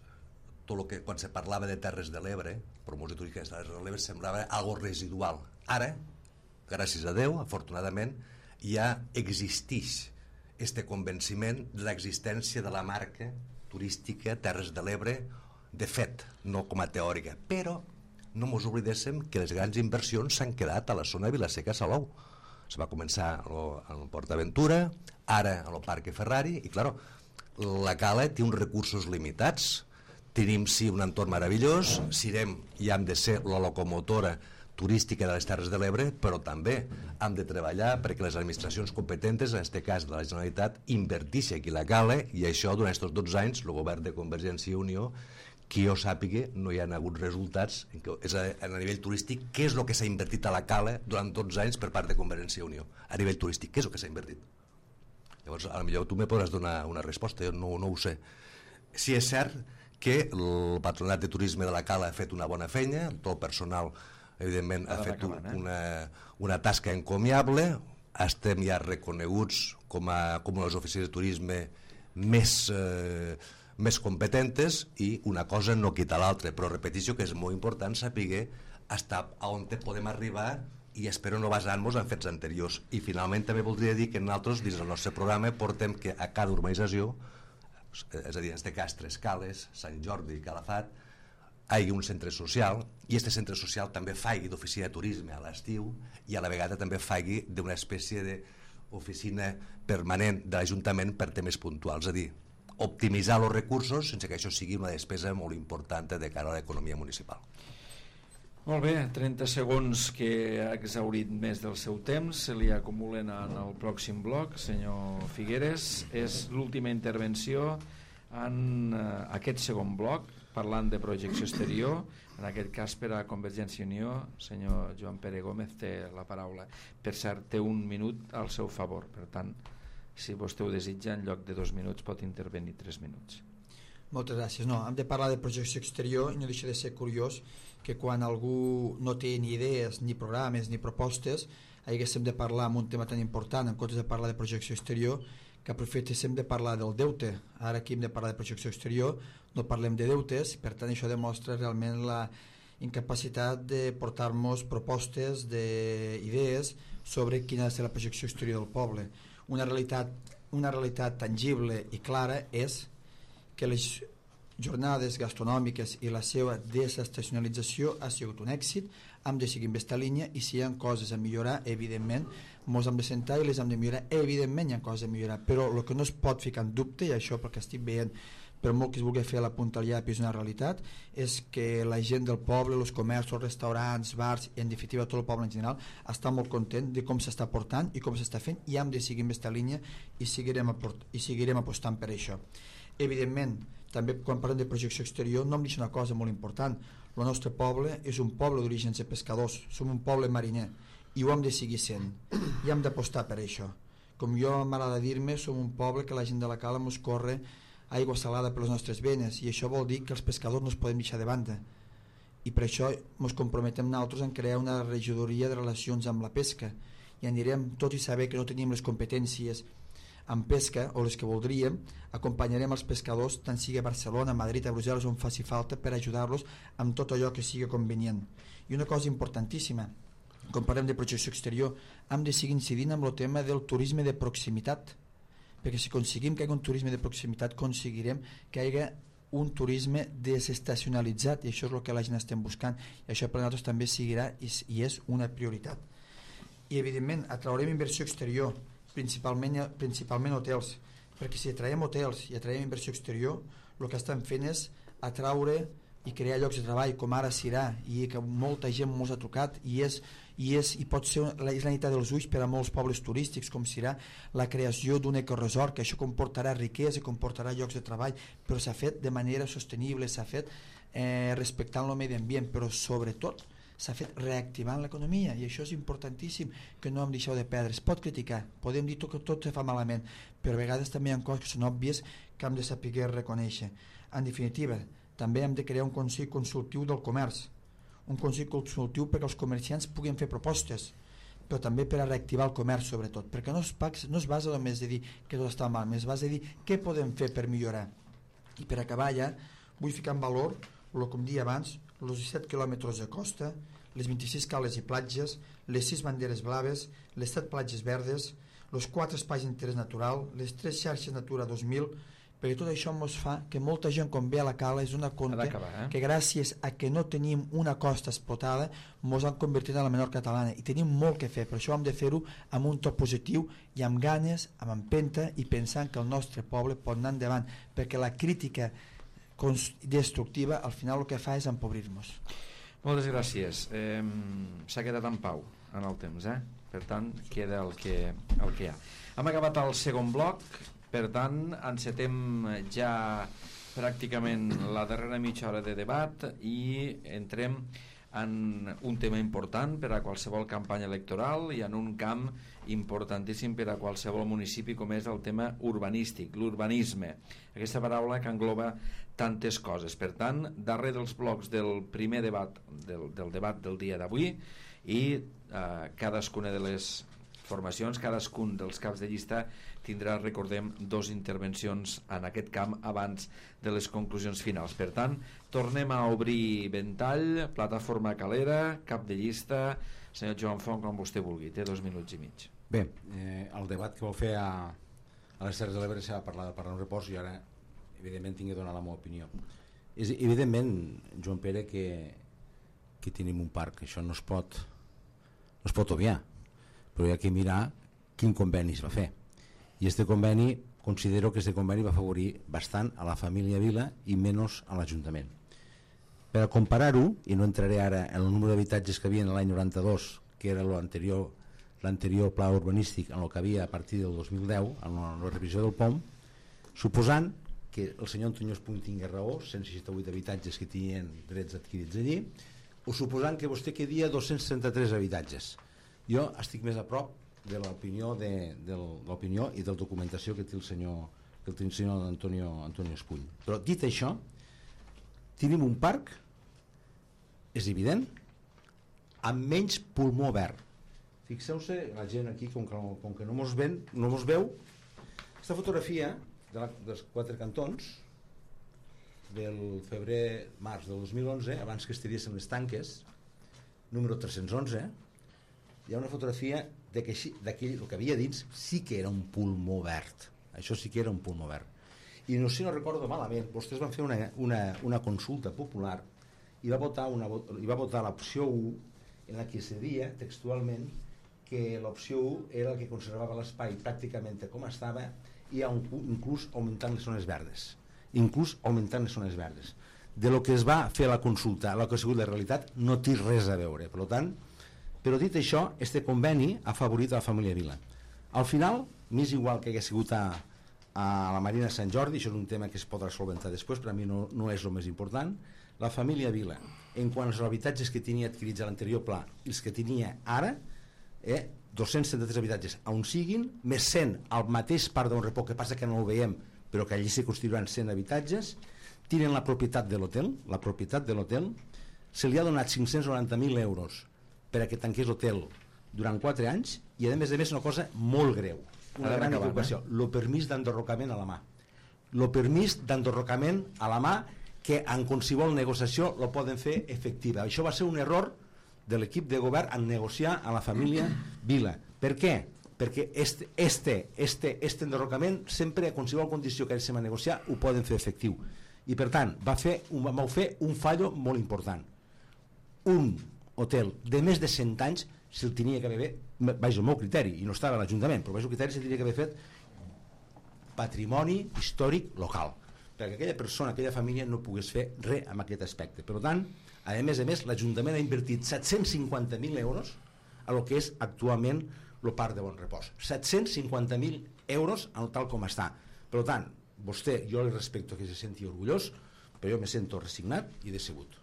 tot el que quan se parlava de Terres de l'Ebre, promoció turística de Terres de l'Ebre, semblava algo residual. Ara, gràcies a Déu, afortunadament, ja existeix este convenciment de l'existència de la marca turística Terres de l'Ebre, de fet, no com a teòrica, però no mos oblidéssim que les grans inversions s'han quedat a la zona de Vilaseca-Salou. Se va començar al Port Aventura, ara a el Parque Ferrari, i clar, la Cala té uns recursos limitats. Tenim sí un entorn meravellós, serem i hem de ser la locomotora turística de les Terres de l'Ebre, però també hem de treballar perquè les administracions competentes, en aquest cas de la Generalitat, inverteixi aquí la Cala, i això durant aquests dotze anys el govern de Convergència i Unió, que jo sàpiga, no hi ha hagut resultats. És a, a nivell turístic, què és el que s'ha invertit a la Cala durant dotze anys per part de Convergència i Unió? A nivell turístic, què és el que s'ha invertit? Llavors, potser tu me podràs donar una resposta, jo no, no ho sé. Sí és cert que el Patronat de Turisme de la Cala ha fet una bona feina, tot el personal evidentment ha fet una, una tasca encomiable, estem ja reconeguts com a, com a les oficines de turisme més, eh, més competentes, i una cosa no quita l'altra, però repeteixo que és molt important saber estar on podem arribar, i espero no basar-nos en fets anteriors. I finalment també voldria dir que nosaltres dins del nostre programa portem que a cada urbanització, és a dir, en aquest cas Tres Cales, Sant Jordi i Calafat, hi hagi un centre social, i aquest centre social també faci d'oficina de turisme a l'estiu, i a la vegada també faci d'una espècie d'oficina permanent de l'Ajuntament per temes puntuals, és a dir, optimitzar els recursos sense que això sigui una despesa molt important de cara a l'economia municipal. Molt bé, trenta segons que ha exhaurit més del seu temps, se li acumulen en el pròxim bloc. Senyor Figueres, és l'última intervenció en uh, aquest segon bloc, parlant de projecció exterior, en aquest cas per a Convergència i Unió. Senyor Joan Pere Gómez té la paraula. Per cert, té un minut al seu favor, per tant, si vostè ho desitja, en lloc de dos minuts pot intervenir tres minuts. Moltes gràcies. No, hem de parlar de projecció exterior, i no deixa de ser curiós que quan algú no té ni idees, ni programes, ni propostes, haguéssim de parlar en un tema tan important, en comptes de parlar de projecció exterior, que aprofitéssim de parlar del deute. Ara aquí hem de parlar de projecció exterior, no parlem de deutes, per tant això demostra realment la incapacitat de portar-nos propostes, d'idees sobre quina ha de ser la projecció exterior del poble. Una realitat, una realitat tangible i clara és que les jornades gastronòmiques i la seva desestacionalització ha sigut un èxit. Hem de seguir en aquesta línia, i si hi ha coses a millorar, evidentment ens hem de sentar i les hem de millorar, evidentment hi ha coses a millorar, però el que no es pot ficar en dubte, i això perquè estic veient per molt que es vulgui fer la punta al llap, és una realitat, és que la gent del poble, els comerços, restaurants, bars, i en definitiva tot el poble en general, està molt content de com s'està portant i com s'està fent, i hem de seguir en aquesta línia i seguirem, aport, i seguirem apostant per això. Evidentment, també quan parlem de projecció exterior no em deixa una cosa molt important. El nostre poble és un poble d'orígens de pescadors, som un poble mariner i ho hem de seguir sent i hem d'apostar per això. Com jo m'agrada dir-me, som un poble que la gent de la cala mos corre aigua salada per les nostres venes, i això vol dir que els pescadors no es podem deixar de banda, i per això ens comprometem nosaltres en crear una regidoria de relacions amb la pesca, i anirem, tot i saber que no tenim les competències en pesca o les que voldríem, acompanyarem els pescadors tant sigui a Barcelona, a Madrid, a Brussel·les, on faci falta, per ajudar-los amb tot allò que sigui convenient. I una cosa importantíssima, quan parlem de projecció exterior, hem de seguir incidint amb el tema del turisme de proximitat, perquè si aconseguim que hi hagi un turisme de proximitat, aconseguirem que hi hagi un turisme desestacionalitzat, i això és el que la gent estem buscant, i això per a nosaltres també seguirà i, i és una prioritat. I evidentment atraurem inversió exterior, principalment, principalment hotels, perquè si atraiem hotels i atraiem inversió exterior, el que estan fent és atraure i crear llocs de treball, com ara Sirà, i que molta gent mos ha trucat, i és, i és i pot ser la, és la nit dels ulls per a molts pobles turístics com Sirà, la creació d'un ecoresort, que això comportarà riquesa, comportarà llocs de treball, però s'ha fet de manera sostenible, s'ha fet eh, respectant el medi ambient, però sobretot s'ha fet reactivant l'economia, i això és importantíssim, que no hem deixat de perdre. Es pot criticar, podem dir que tot se fa malament, però a vegades també hi ha coses que són òbvies que hem de saber reconèixer. En definitiva, també hem de crear un Consell Consultiu del Comerç, un Consell Consultiu perquè els comerciants puguin fer propostes, però també per a reactivar el comerç sobretot, perquè no es, no es basa només de dir que tot està mal, es basa de dir què podem fer per millorar. I per acabar ja, vull ficar en valor, el que em dia abans, els disset quilòmetres de costa, les vint-i-sis cales i platges, les sis banderes blaves, les set platges verdes, els quatre espais d'interès natural, les tres xarxes Natura dos mil, perquè tot això ens fa que molta gent quan ve a la cala es dona compte eh? que gràcies a que no tenim una costa explotada ens han convertit en la menor catalana, i tenim molt que fer, per això hem de fer-ho amb un to positiu i amb ganes, amb empenta, i pensant que el nostre poble pot anar endavant, perquè la crítica destructiva al final el que fa és empobrir-nos. Moltes gràcies. Eh, s'ha quedat en pau en el temps, eh? Per tant, queda el que, el que hi ha. Hem acabat el segon bloc, per tant, encetem ja pràcticament la darrera mitja hora de debat i entrem en un tema important per a qualsevol campanya electoral i en un camp importantíssim per a qualsevol municipi, com és el tema urbanístic, l'urbanisme, aquesta paraula que engloba tantes coses. Per tant, darrere dels blocs del primer debat del, del debat del dia d'avui, i eh, cadascuna de les formacions, cadascun dels caps de llista tindrà, recordem, dos intervencions en aquest camp abans de les conclusions finals. Per tant, tornem a obrir ventall, plataforma calera, cap de llista. Senyor Joan Font, com vostè vulgui, té dos minuts i mig. Bé, eh, el debat que vol fer a, a les Terres de l'Ebre s'ha parlat per un repòs, i ara evidentment tinc de donar la meva opinió. És evidentment, Joan Pere, que, que tenim un parc, això no es pot no es pot obviar, però hi ha que mirar quin conveni es va fer, i este conveni, considero que este conveni va afavorir bastant a la família Vila i menys a l'Ajuntament. Per a comparar-ho, i no entraré ara en el número d'habitatges que havia en l'any noranta-dos, que era l'anterior l'anterior pla urbanístic en el que havia a partir del dos mil deu, en la, la revisió del P O M, suposant que el senyor Antonio Espuny tingui raó, cent seixanta-vuit habitatges que tenien drets adquirits allí, o suposant que vostè quedia dos-cents trenta-tres habitatges. Jo estic més a prop de l'opinió de, de l'opinió i de la documentació que té el senyor, que té el senyor Antonio, Antonio Espuny. Però dit això, tenim un parc, és evident, amb menys pulmó verd. Fixeu-se, la gent aquí, com que, com que no mos ven, no mos veu, aquesta fotografia de la, dels quatre cantons del febrer-març del dos mil onze, abans que estiguessin les tanques, número tres-cents onze, hi ha una fotografia de que d'aquell, el que havia dins sí que era un pulmó verd. Això sí que era un pulmó verd. I no sé si no recordo malament, vostès van fer una, una, una consulta popular i va votar, una, i va votar l'opció u, en la que se deia textualment que l'opció u era el que conservava l'espai pràcticament com estava, i inclús augmentant les zones verdes. inclús augmentant les zones verdes. De lo que es va fer a la consulta a la que ha sigut la realitat no té res a veure. Per tant, però dit això, este conveni ha favorit a la família Vila. Al final, m'és igual que hagi sigut a, a la Marina de Sant Jordi, això és un tema que es podrà solventar després, per a mi no, no és el més important. La família Vila, en quant als habitatges que tenia adquirits a l'anterior pla i els que tenia ara, eh, dos-cents setanta-tres habitatges on siguin, més cent al mateix parc d'on repò, que passa que no ho veiem, però que allí se construiran cent habitatges, tiren la propietat de l'hotel, la propietat de l'hotel, se li ha donat cinc-cents noranta mil euros per a que tanqués l'hotel durant quatre anys i a més a més una cosa molt greu, una gran equivocació, el permís d'enderrocament a la mà. El permís d'enderrocament a la mà que en qualsevol negociació lo poden fer efectiva. Això va ser un error de l'equip de govern en negociar a la família Vila. Per què? Perquè este, este, este, este enderrocament sempre a qualsevol condició que ells se va negociar ho poden fer efectiu. I per tant va fer un, va fer un fallo molt important. Un hotel de més de cent anys se'l tenia que haver, vaig al meu criteri, i no estava a l'Ajuntament, però vaig al criteri se'l tenia que haver fet patrimoni històric local, perquè aquella persona, aquella família no pogués fer res amb aquest aspecte. Per tant, a més a més, l'Ajuntament ha invertit set-cents cinquanta mil euros a lo que és actualment el parc de Bon Repòs. set-cents cinquanta mil euros tal com està. Per tant, vostè, jo li respecto que se senti orgullós, però jo me sento resignat i decebut.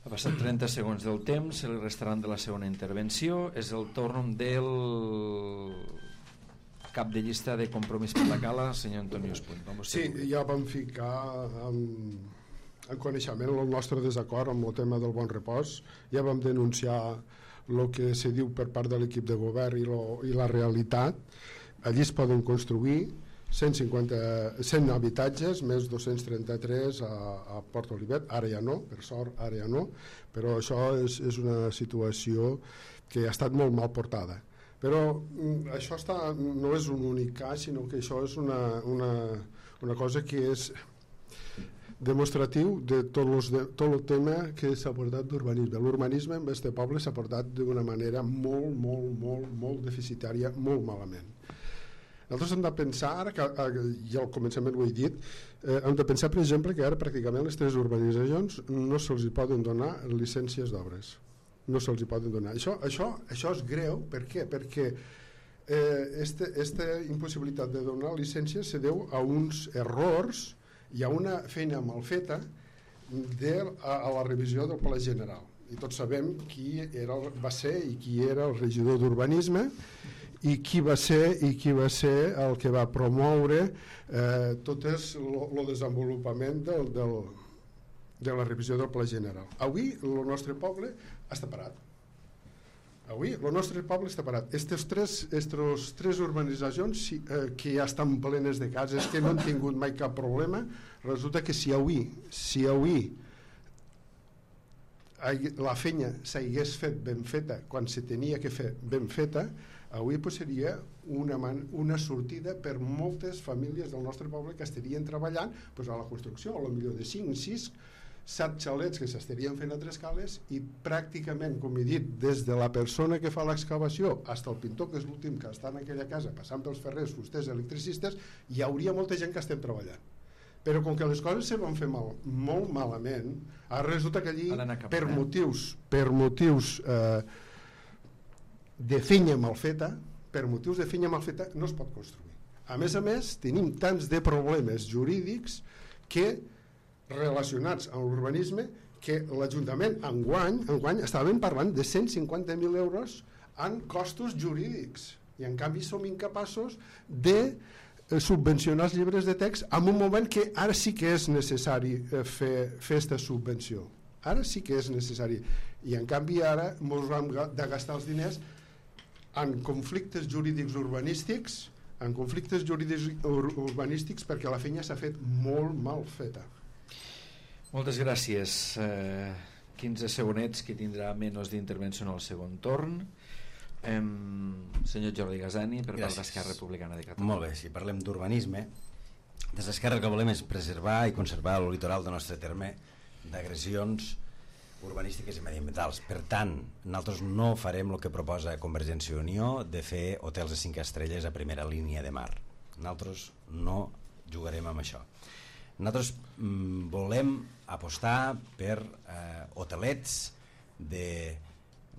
Ha passat trenta segons del temps, se li restaran de la segona intervenció. És el torn del cap de llista de Compromís per la Cala, senyor Antonio Espuny. Sí, ja vam ficar en, en coneixement el nostre desacord amb el tema del Bon Repòs. Ja vam denunciar el que se diu per part de l'equip de govern i, lo, i la realitat. Allí es poden construir cent cinquanta, cent habitatges, més dos-cents trenta-tres a, a Port Olivet, ara ja no, per sort, ara ja no, però això és, és una situació que ha estat molt mal portada. Però això està, no és un únic cas, sinó que això és una, una, una cosa que és demostratiu de tot, los de tot el tema que s'ha portat d'urbanisme. L'urbanisme en aquest poble s'ha portat d'una manera molt, molt, molt, molt deficitària, molt malament. Nosaltres hem de pensar, ara que ja al començament ho he dit, eh, hem de pensar, per exemple, que ara pràcticament les tres urbanitzacions no se'ls poden donar llicències d'obres. No se'ls poden donar. Això, això, això és greu, per què? Perquè eh, este, esta impossibilitat de donar llicències se deu a uns errors i a una feina mal feta de, a, a la revisió del Pla General. I tots sabem qui era, va ser i qui era el regidor d'urbanisme i qui va ser i qui va ser el que va promoure eh, tot el desenvolupament del, del, de la revisió del Pla General. Avui el nostre poble està parat. Avui el nostre poble està parat. Estes tres, estes tres urbanitzacions eh, que ja estan plenes de cases, que no han tingut mai cap problema, resulta que si avui, si avui la feina s'hagués fet ben feta quan se tenia que fer ben feta, avui pues, seria una, man, una sortida per moltes famílies del nostre poble que estarien treballant pues, a la construcció, a lo millor de cinc, sis, set xalets que s'estarien fent a Tres Cales i pràcticament, com he dit, des de la persona que fa l'excavació fins al pintor, que és l'últim que està en aquella casa passant pels ferrers, fusters, electricistes, hi hauria molta gent que estem treballant. Però com que les coses se van fer mal, molt malament, ara resulta que allí per motius, per motius eh, de fenya mal feta, per motius de fenya mal feta no es pot construir. A més a més, tenim tants de problemes jurídics que relacionats amb l'urbanisme que l'Ajuntament enguany, enguany estaven parlant de cent cinquanta mil euros en costos jurídics i en canvi som incapaços de subvencionar els llibres de text en un moment que ara sí que és necessari fer aquesta subvenció. Ara sí que és necessari. I en canvi ara ens vam de gastar els diners en conflictes jurídics urbanístics, en conflictes jurídics ur urbanístics perquè la feina s'ha fet molt mal feta. Moltes gràcies. Eh, quinze segonets que tindrà menys d'intervenció en el segon torn. Um, senyor Jordi Gasani, per part d'Esquerra Republicana de Catalunya. Molt bé, si parlem d'urbanisme, des d'Esquerra el que volem és preservar i conservar el litoral del nostre terme d'agressions urbanístiques i mediambientals. Per tant, nosaltres no farem el que proposa Convergència i Unió de fer hotels de cinc estrelles a primera línia de mar. Nosaltres no jugarem amb això. Nosaltres mm, volem apostar per eh, hotelets de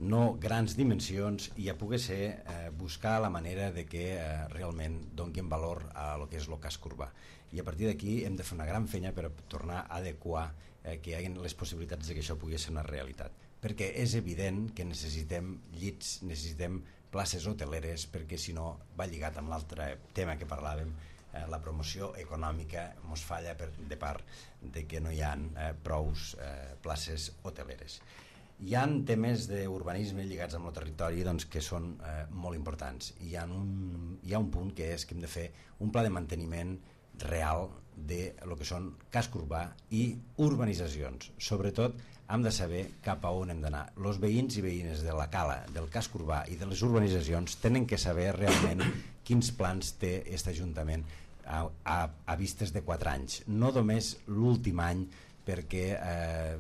no grans dimensions i a poder ser eh, buscar la manera de que eh, realment donguin valor a lo que és el casc urbà. I a partir d'aquí hem de fer una gran feina per tornar a adequar eh, que hi hagi les possibilitats de que això pugui ser una realitat. Perquè és evident que necessitem llits, necessitem places hoteleres, perquè si no va lligat amb l'altre tema que parlàvem, eh, la promoció econòmica mos falla per, de part de que no hi ha eh, prous eh, places hoteleres. Hi ha temes d'urbanisme lligats amb el territori doncs, que són eh, molt importants. Hi ha, un, hi ha un punt que és que hem de fer un pla de manteniment real de lo que són casc urbà i urbanitzacions. Sobretot hem de saber cap a on hem d'anar. Els veïns i veïnes de la cala, del casc urbà i de les urbanitzacions tenen que saber realment quins plans té aquest Ajuntament a, a, a vistes de quatre anys. No només l'últim any, perquè eh,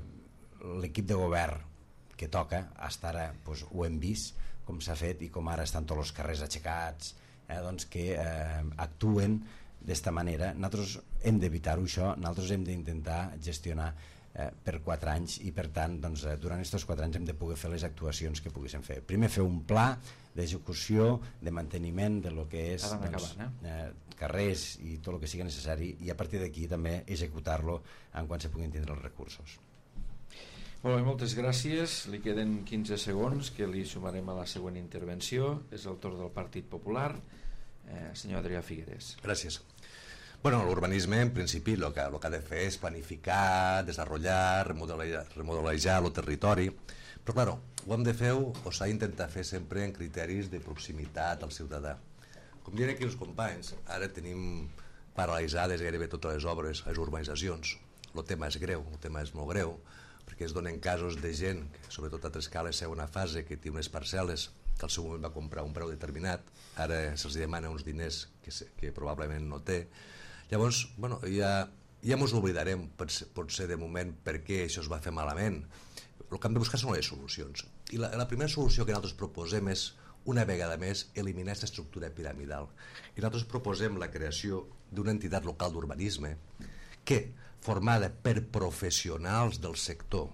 l'equip de govern que toca, hasta ara doncs, ho hem vist com s'ha fet i com ara estan tots els carrers aixecats, eh, doncs que eh, actuen d'esta manera. Nosaltres hem d'evitar-ho això, nosaltres hem d'intentar gestionar eh, per quatre anys i per tant doncs, eh, durant aquests quatre anys hem de poder fer les actuacions que poguéssim fer. Primer fer un pla d'execució, de manteniment de lo que és doncs, acabant, eh? Eh, carrers i tot el que sigui necessari i a partir d'aquí també executar-lo en quan se puguin tindre els recursos. Molt bé, moltes gràcies. Li queden quinze segons que li sumarem a la següent intervenció. És el torn del Partit Popular. Eh, senyor Adrià Figueres. Gràcies. Bueno, l'urbanisme en principi el que, el que ha de fer és planificar, desenvolupar, remodelar, remodelar el territori, però claro, ho hem de fer o s'ha d'intentar fer sempre en criteris de proximitat al ciutadà. Com diuen aquí els companys, ara tenim paralitzades gairebé totes les obres a les urbanitzacions. El tema és greu, el tema és molt greu, perquè es donen casos de gent, que sobretot a Trescala és segona fase, que té unes parcel·les que al seu moment va comprar un preu determinat, ara se'ls demana uns diners que, que probablement no té. Llavors, bueno, ja, ja ens oblidarem, potser de moment, per què això es va fer malament. El que hem de buscar són les solucions. I la, la primera solució que nosaltres proposem és, una vegada més, eliminar aquesta estructura piramidal. I nosaltres proposem la creació d'una entitat local d'urbanisme que, formada per professionals del sector,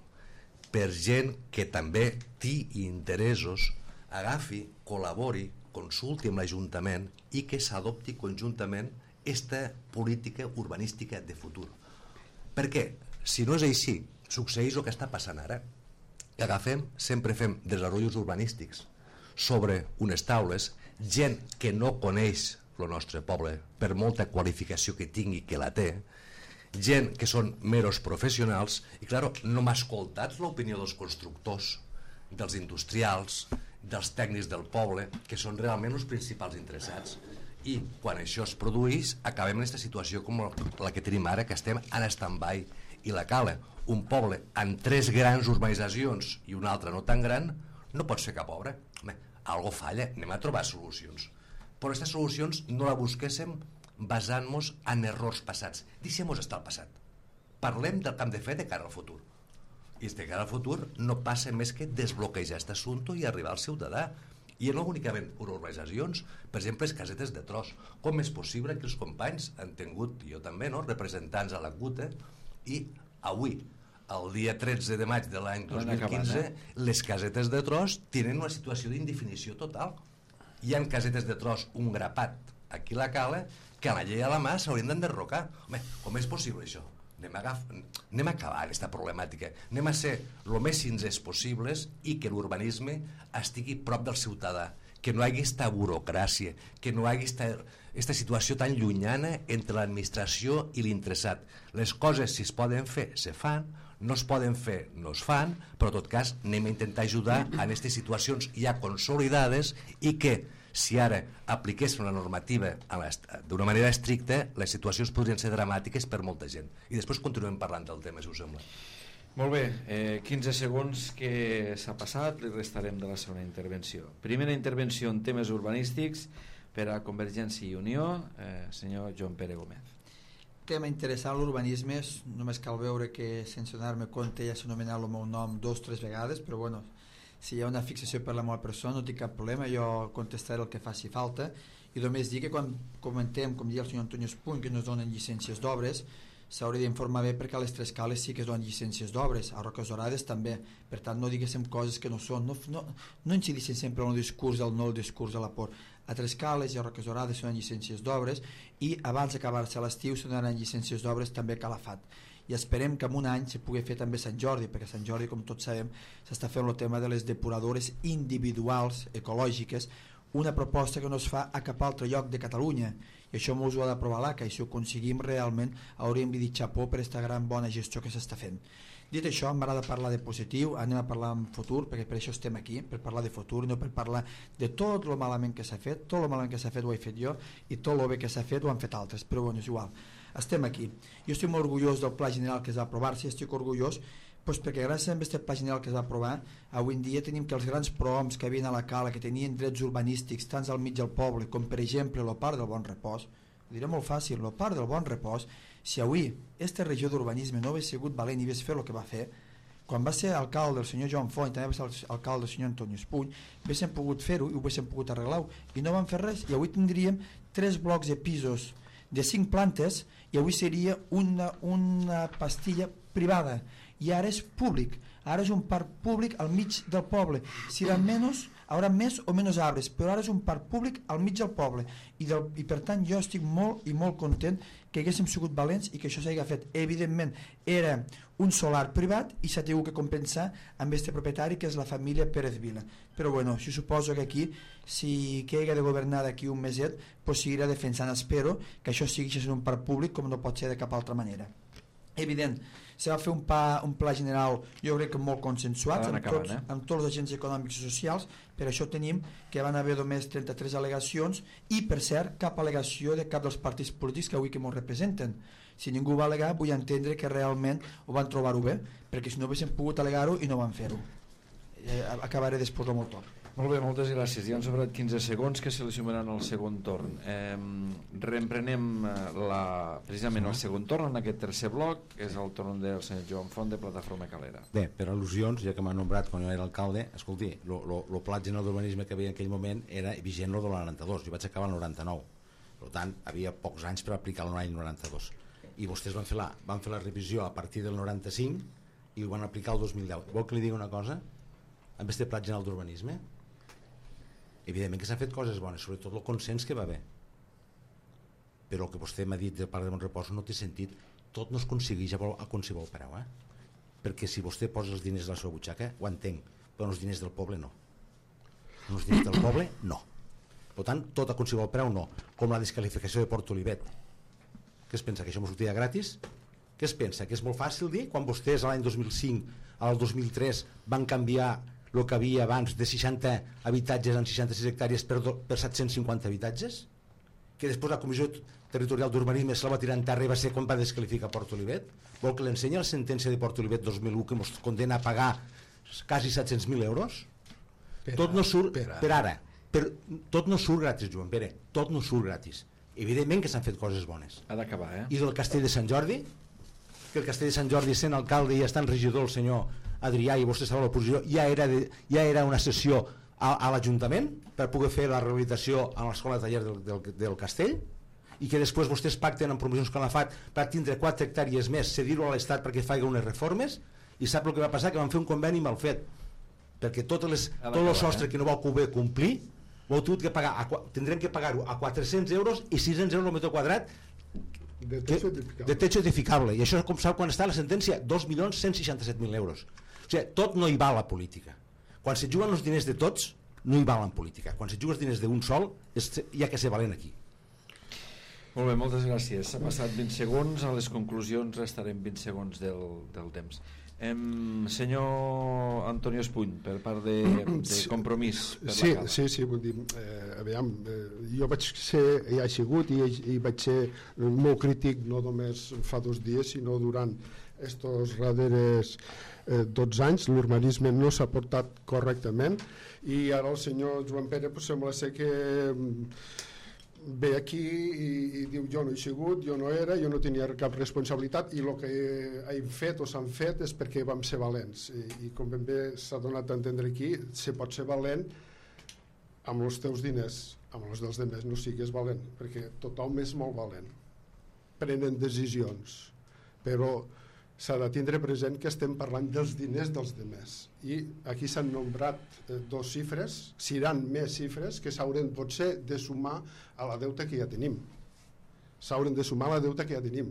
per gent que també té interessos, agafi, col·labori, consulti amb l'Ajuntament i que s'adopti conjuntament aquesta política urbanística de futur. Per què? Si no és així, succeeix el que està passant ara. Agafem, sempre fem desenvolups urbanístics sobre unes taules, gent que no coneix el nostre poble, per molta qualificació que tingui, que la té, gent que són meros professionals i, clar, no m'ha escoltat l'opinió dels constructors, dels industrials, dels tècnics del poble, que són realment els principals interessats. I quan això es produeix, acabem en aquesta situació com la que tenim ara, que estem en stand-by. I la Cala, un poble amb tres grans urbanitzacions i un altre no tan gran, no pot fer cap obra. Home, algo falla, anem a trobar solucions. Però aquestes solucions no la busquéssim basant-nos en errors passats. Deixem-nos estar al passat. Parlem del que hem de fer de cara al futur. I de cara al futur no passa més que desbloquejar aquest assumpte i arribar al ciutadà. I no únicament urbanitzacions, per exemple, les casetes de tros. Com és possible que els companys han tingut, jo també, no?, representants a la C U T E, i avui, el dia tretze de maig de l'any dos mil quinze, les casetes de tros tenen una situació d'indefinició total. Hi ha casetes de tros, un grapat, aquí a la Cala, que a la llei a la mà s'haurien d'enderrocar. Home, com és possible això? Anem a, agaf... anem a acabar aquesta problemàtica. Anem a ser el més sincers possibles i que l'urbanisme estigui prop del ciutadà, que no hi hagi aquesta burocràcia, que no hi hagi aquesta situació tan llunyana entre l'administració i l'interessat. Les coses, si es poden fer, se fan, no es poden fer, no es fan, però en tot cas anem a intentar ajudar en aquestes situacions ja consolidades i que, si ara apliquessin una normativa d'una manera estricta, les situacions podrien ser dramàtiques per molta gent. I després continuem parlant del tema, si us sembla. Molt bé, eh, quinze segons que s'ha passat, li restarem de la segona intervenció. Primera intervenció en temes urbanístics per a Convergència i Unió, eh, senyor Joan Pere Gómez. Tema interessant, l'urbanisme, només cal veure que sense donar-me compte ja s'ha anomenat el meu nom dos o tres vegades, però bueno, si hi ha una fixació per la meva persona no tinc cap problema, jo contestaré el que faci falta i només dir que quan comentem, com diu el senyor Antonio Espuny, que no es donen llicències d'obres, s'hauria d'informar bé perquè a les Tres Cales sí que es donen llicències d'obres, a Roques Dorades també, per tant no diguéssim coses que no són, no, no, no incidissin sempre en el discurs del no, el discurs de la por. A Tres Cales i a Roques Dorades se donen llicències d'obres i abans d'acabar-se l'estiu se donen llicències d'obres també a Calafat, i esperem que en un any se pugui fer també Sant Jordi, perquè Sant Jordi, com tots sabem, s'està fent el tema de les depuradores individuals ecològiques, una proposta que no es fa a cap altre lloc de Catalunya, i això mos ho ha d'aprovar l'A C A, i si ho aconseguim realment hauríem de dir xapó per aquesta gran bona gestió que s'està fent. Dit això, m'agrada parlar de positiu, anem a parlar en futur, perquè per això estem aquí, per parlar de futur, no per parlar de tot el malament que s'ha fet. Tot el malament que s'ha fet ho he fet jo, i tot el bé que s'ha fet ho han fet altres, però bueno, és igual. Estem aquí. Jo estic molt orgullós del Pla General que es va aprovar, si estic orgullós, doncs perquè gràcies a aquest Pla General que es va aprovar, avui en dia tenim que els grans prohoms que havien a la cala, que tenien drets urbanístics tants al mig del poble, com per exemple el Parc del Bon Repòs, ho diré molt fàcil, el Parc del Bon Repòs, si avui aquesta regió d'urbanisme no hagués sigut valent i hagués fet el que va fer, quan va ser alcalde el senyor Joan Font i també va ser alcalde el senyor Antonio Espuny, haguéssim pogut fer-ho i ho haguéssim pogut arreglar-ho, i no van fer res, i avui tindríem tres blocs de pisos de cinc plantes i avui seria una, una pastilla privada, i ara és públic, ara és un parc públic al mig del poble, si eren menys haurà més o menys arbres, però ara és un parc públic al mig del poble, i, del, i per tant jo estic molt i molt content que haguéssim sigut valents i que això s'hagi fet. Evidentment era un solar privat i s'ha tingut que compensar amb este propietari que és la família Pérez Vila, però bueno, jo suposo que aquí si que hagi de governar d'aquí un meset pues seguirà defensant, espero que això sigui en un parc públic com no pot ser de cap altra manera. Evident, se va fer un, pa, un pla general jo crec que molt consensuat amb, acabant, tots, eh? amb tots els agents econòmics i socials, per això tenim que van haver només trenta-tres al·legacions i per cert cap al·legació de cap dels partits polítics que avui que ens representen. Si ningú va al·legar vull entendre que realment ho van trobar-ho bé, perquè si no haguessin pogut al·legar-ho i no van fer-ho. Eh, acabaré després del meu torn. Molt bé, moltes gràcies. Ja han sobrat quinze segons que se li sumaran al segon torn. Eh, reemprenem la, precisament el segon torn en aquest tercer bloc, és el torn del senyor Joan Font de Plataforma Calera. Bé, per al·lusions, ja que m'ha nombrat quan jo era alcalde, escolti, el pla general d'urbanisme que havia en aquell moment era vigent el del noranta-dos, jo vaig acabar el noranta-nou, per tant, havia pocs anys per aplicar l'any noranta-dos, i vostès van fer, la, van fer la revisió a partir del noranta-cinc i ho van aplicar el dos mil deu. Vol que li digui una cosa? Amb aquest pla general d'urbanisme, evidentment que s'han fet coses bones, sobretot el consens que va haver, però el que vostè m'ha dit del Parc de Bon Repòs no té sentit. Tot no es aconsegueix a qualsevol preu, eh? Perquè si vostè posa els diners de la seva butxaca ho entenc, però els diners del poble no, els diners del poble no, per tant tot a qualsevol preu no, com la descalificació de Port Olivet. Què es pensa, que això m'ho sortia gratis? Què es pensa, que és molt fàcil dir quan vostès l'any dos mil cinc al dos mil tres van canviar el que havia abans de seixanta habitatges en seixanta-sis hectàrees per, do, per set-cents cinquanta habitatges, que després la Comissió Territorial d'Urbanisme se la va tirar en terra i va ser quan va descalificar Port Olivet? Vol que l'ensenya la sentència de Port Olivet dos mil u que ens condena a pagar quasi set-cents mil euros? Per tot no surt, per ara, per ara per, tot no surt gratis, Joan Pere, tot no surt gratis. Evidentment que s'han fet coses bones. Ha d'acabar, eh? I del Castell de Sant Jordi, que el Castell de Sant Jordi sent alcalde i estant regidor el senyor Adrià i vostè sabrà l'oposició, ja, era de, ja era una sessió a, a l'Ajuntament per poder fer la rehabilitació a l'escola de taller del, del, del Castell, i que després vostès pacten amb promocions Calafat per tindre quatre hectàrees més, cedir-ho a l'Estat perquè faci unes reformes, i sap el que va passar? Que van fer un conveni mal fet, perquè totes les, tot el sostre eh? que no va poder complir ho heu tingut que pagar, a, tindrem que pagar-ho a quatre-cents euros i sis-cents euros al metre quadrat de techo edificable. de techo edificable, i això com sap quan està la sentència, dos milions cent seixanta-set mil euros. O sigui, tot no hi val a la política. Quan se juguen els diners de tots no hi val en política, quan se juguen els diners d'un sol és, hi ha que ser valent aquí. Molt bé, moltes gràcies. S'ha passat vint segons, a les conclusions restarem vint segons del, del temps. Em, senyor Antonio Espuny, per part de, de Compromís per sí, la Cala. sí, sí, vull dir, eh, aviam, eh, jo vaig ser, ja he sigut i, i vaig ser molt crític no només fa dos dies sinó durant estos darrers eh, dotze anys. L'urbanisme no s'ha portat correctament i ara el senyor Joan Pere pues, sembla ser que ve aquí i, i diu jo no he sigut, jo no era, jo no tenia cap responsabilitat i el que hem fet o s'han fet és perquè vam ser valents i, i com ben bé s'ha donat a entendre aquí, se pot ser valent amb els teus diners, amb els dels demés no sigues valent, perquè tothom és molt valent, prenen decisions però s'ha de tindre present que estem parlant dels diners dels demés, i aquí s'han nombrat eh, dos xifres, seran més xifres que s'hauran potser de sumar a la deuta que ja tenim, s'hauran de sumar a la deuta que ja tenim.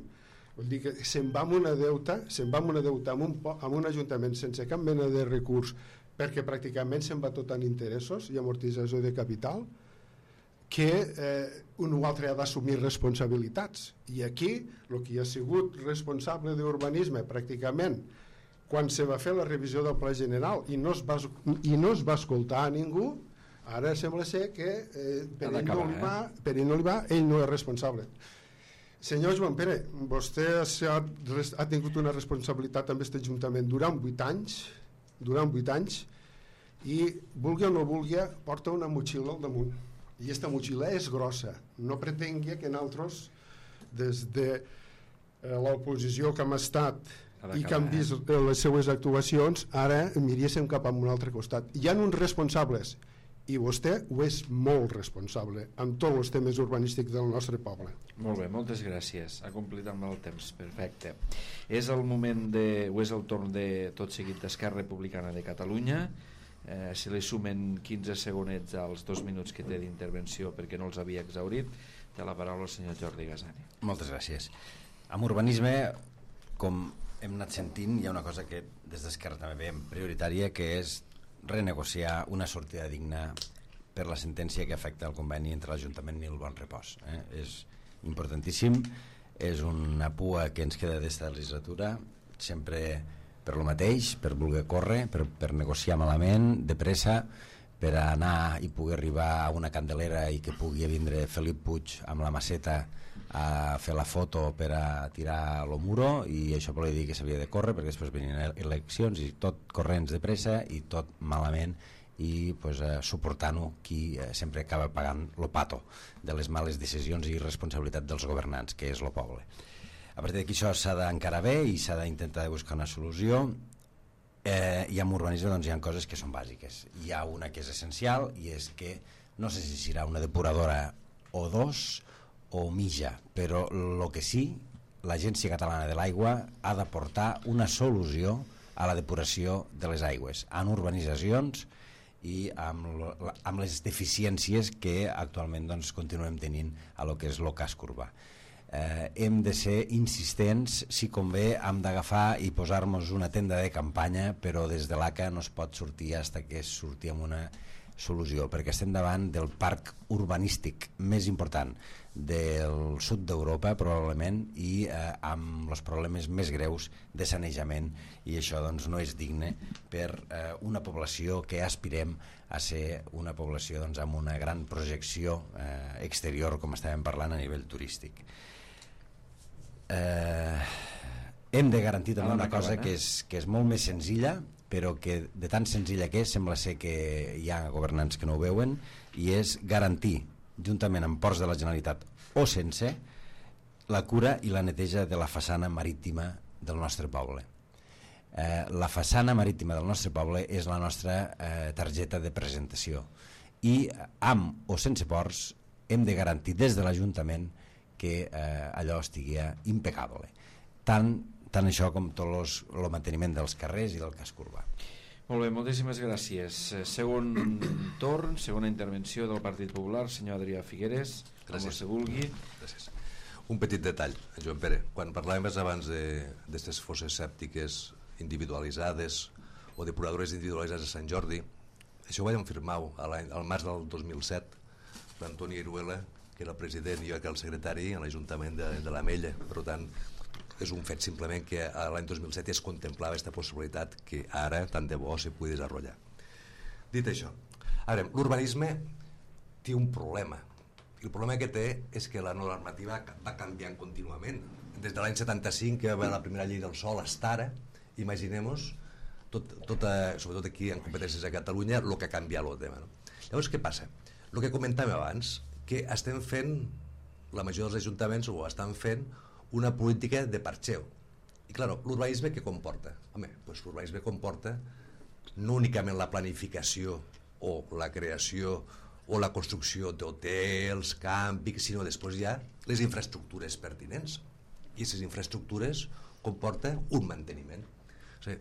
Vol dir que se'n va amb una deuta, se'n va amb una deuta amb un, amb un ajuntament sense cap mena de recurs, perquè pràcticament se'n va tot en interessos i amortització de capital, que eh, un o altre ha d'assumir responsabilitats. I aquí, el que ha sigut responsable d'urbanisme pràcticament quan se va fer la revisió del Pla General i no es va, i no es va escoltar a ningú, ara sembla ser que eh, per, ell no li va, per ell no li va, ell no és responsable. Senyor Joan Pere, vostè ha, ha tingut una responsabilitat amb aquest Ajuntament durant vuit anys, durant vuit anys, i vulgui o no vulgui, porta una motxilla al damunt. I aquesta motxilla és grossa. No pretengui que nosaltres, des de eh, l'oposició que hem estat i que hem vist eh, les seues actuacions, ara miríssim cap a un altre costat. Hi ha uns responsables, i vostè ho és molt responsable amb tots els temes urbanístics del nostre poble. Molt bé, moltes gràcies. Ha complit amb el temps, perfecte. És el moment de, o és el torn de tot seguit d'Esquerra Republicana de Catalunya. Eh, si li sumen quinze segonets als dos minuts que té d'intervenció perquè no els havia exhaurit, té la paraula el senyor Jordi Gasani. Moltes gràcies. Amb urbanisme, com hem anat sentint, hi ha una cosa que des d'Esquerra també veiem prioritària, que és renegociar una sortida digna per la sentència que afecta el conveni entre l'Ajuntament i el Bon Repòs. Eh? És importantíssim, és una pua que ens queda d'esta legislatura, sempre per lo mateix, per voler córrer, per, per negociar malament, de pressa, per anar i poder arribar a una candelera i que pugui vindre Felip Puig amb la maceta a fer la foto per a tirar lo muro, i això volia dir que s'havia de córrer perquè després venien eleccions i tot corrents de pressa i tot malament, i pues, eh, suportant-ho qui eh, sempre acaba pagant lo pato de les males decisions i responsabilitat dels governants, que és lo poble. A partir d'aquí això s'ha d'encarar bé i s'ha d'intentar buscar una solució, eh, i amb urbanisme doncs, hi ha coses que són bàsiques. Hi ha una que és essencial, i és que no sé si serà una depuradora o dos o mitja, però el que sí, l'Agència Catalana de l'Aigua ha d'aportar una solució a la depuració de les aigües en urbanitzacions i amb, lo, amb les deficiències que actualment doncs, continuem tenint a lo que és el casc urbà. Eh, hem de ser insistents, si convé hem d'agafar i posar-nos una tenda de campanya, però des de l'A C A no es pot sortir fins que es surti amb una solució, perquè estem davant del parc urbanístic més important del sud d'Europa probablement, i eh, amb els problemes més greus de sanejament, i això doncs, no és digne per eh, una població que aspirem a ser una població doncs, amb una gran projecció eh, exterior, com estàvem parlant a nivell turístic. Eh, hem de garantir també una cosa que és, que és molt més senzilla, però que de tan senzilla que és sembla ser que hi ha governants que no ho veuen, i és garantir, juntament amb ports de la Generalitat o sense, la cura i la neteja de la façana marítima del nostre poble. Eh, la façana marítima del nostre poble és la nostra eh, targeta de presentació, i amb o sense ports hem de garantir des de l'Ajuntament que eh, allò estigui impecable, tant, tant això com tot el manteniment dels carrers i del casc urbà. Molt bé, moltíssimes gràcies. Segon torn, segona intervenció del Partit Popular, senyor Adrià Figueres, com se vulgui. Gràcies. Un petit detall, Joan Pere, quan parlàvem abans d'aquestes fosses sèptiques individualitzades o depuradores individualitzades a Sant Jordi, això ho vam firmar al març del dos mil set, l'Antoni Iruela, que era el president i jo que era el secretari a l'Ajuntament de, de l'Ametlla. Per tant, és un fet simplement que l'any dos mil set es contemplava aquesta possibilitat que ara, tant de bo, se pugui desenvolupar. Dit això, l'urbanisme té un problema. I el problema que té és que la normativa va canviant contínuament. Des de l'any setanta-cinc, que va haver la primera llei del sòl, fins ara, imaginem-nos, tot, tot, sobretot aquí en competències a Catalunya, el que ha canviat el tema. No? Llavors, què passa? El que comentàvem abans, que estem fent, la majoria dels ajuntaments ho estan fent, una política de parxeu. I clar, l'urbanisme què comporta? Home, doncs l'urbanisme comporta no únicament la planificació o la creació o la construcció d'hotels, càmpics, sinó després hi ha les infraestructures pertinents. I aquestes infraestructures comporta un manteniment. O sigui,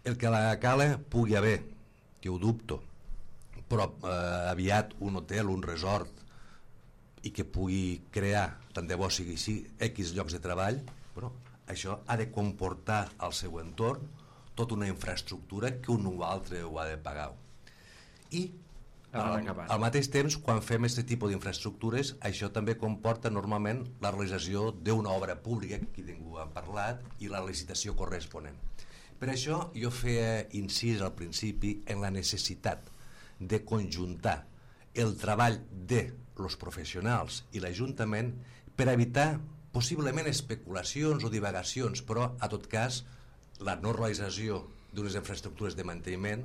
el que a la cala pugui haver, que ho dubto, però eh, aviat un hotel, un resort, i que pugui crear, tant de bo sigui així, X llocs de treball, però això ha de comportar al seu entorn tota una infraestructura que un o altre ho ha de pagar. I al, al mateix temps, quan fem aquest tipus d'infraestructures, això també comporta normalment la realització d'una obra pública, que ningú ha parlat, i la licitació corresponent. Per això jo feia incís al principi en la necessitat de conjuntar el treball de els professionals i l'Ajuntament per evitar possiblement especulacions o divagacions, però a tot cas la no realització d'unes infraestructures de manteniment,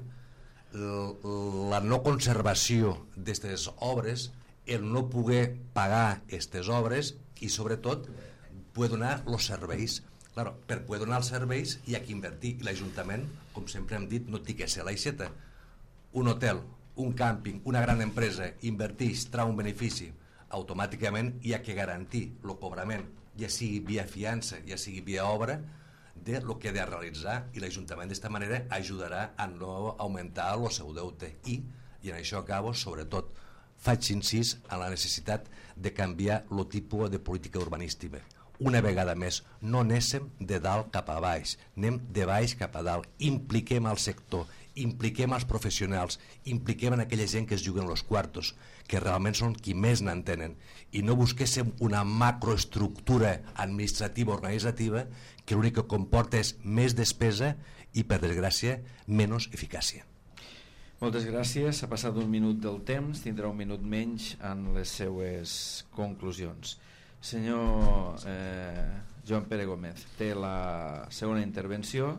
la no conservació d'aquestes obres, el no poder pagar aquestes obres i sobretot poder donar els serveis. Claro, per poder donar els serveis hi ha que invertir, i l'Ajuntament, com sempre hem dit, no té que ser l'aixeta. Un hotel, un càmping, una gran empresa inverteix, trau un benefici, automàticament hi ha que garantir el cobrament, ja sigui via fiança, ja sigui via obra, de lo que ha de realitzar, i l'Ajuntament d'esta manera ajudarà a no augmentar el seu deute. I, i en això acabo, sobretot, faig incís en la necessitat de canviar el tipus de política urbanística. Una vegada més, no anéssim de dalt cap a baix, anem de baix cap a dalt, impliquem al sector, impliquem els professionals, impliquem en aquella gent que es juguen els quartos, que realment són qui més n'entenen, i no busquéssim una macroestructura administrativa o organitzativa que l'únic que comporta és més despesa i, per desgràcia, menys eficàcia. Moltes gràcies. Ha passat un minut del temps, tindrà un minut menys en les seues conclusions. Senyor eh, Joan Pere Gómez, té la segona intervenció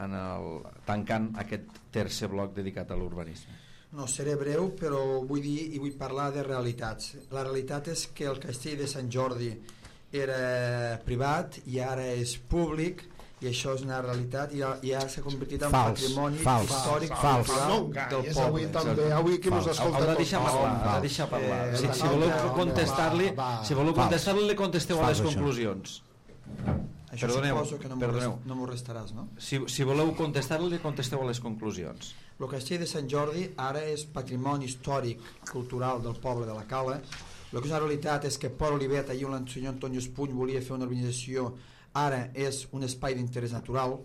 en el, tancant aquest tercer bloc dedicat a l'urbanisme. No, seré breu, però vull dir i vull parlar de realitats. La realitat és que el castell de Sant Jordi era privat i ara és públic, i això és una realitat, i ja, ja s'ha convertit en fals, patrimoni fals, històric fals, fals, no, del és poble. avui també, avui que mos escolta Haurà de deixar parlar, haurà de deixar parlar. Eh, si, si voleu contestar-li, si voleu contestar-li, li contesteu a les conclusions. Això perdoneu, suposo que no perdoneu. No m'ho restaràs, no? Si, si voleu contestar-li, contesteu a les conclusions. El castell de Sant Jordi ara és patrimoni històric cultural del poble de la Cala. El que és una realitat és que Port Olivet, allí on el senyor Antonio Espuny volia fer una urbanització, ara és un espai d'interès natural.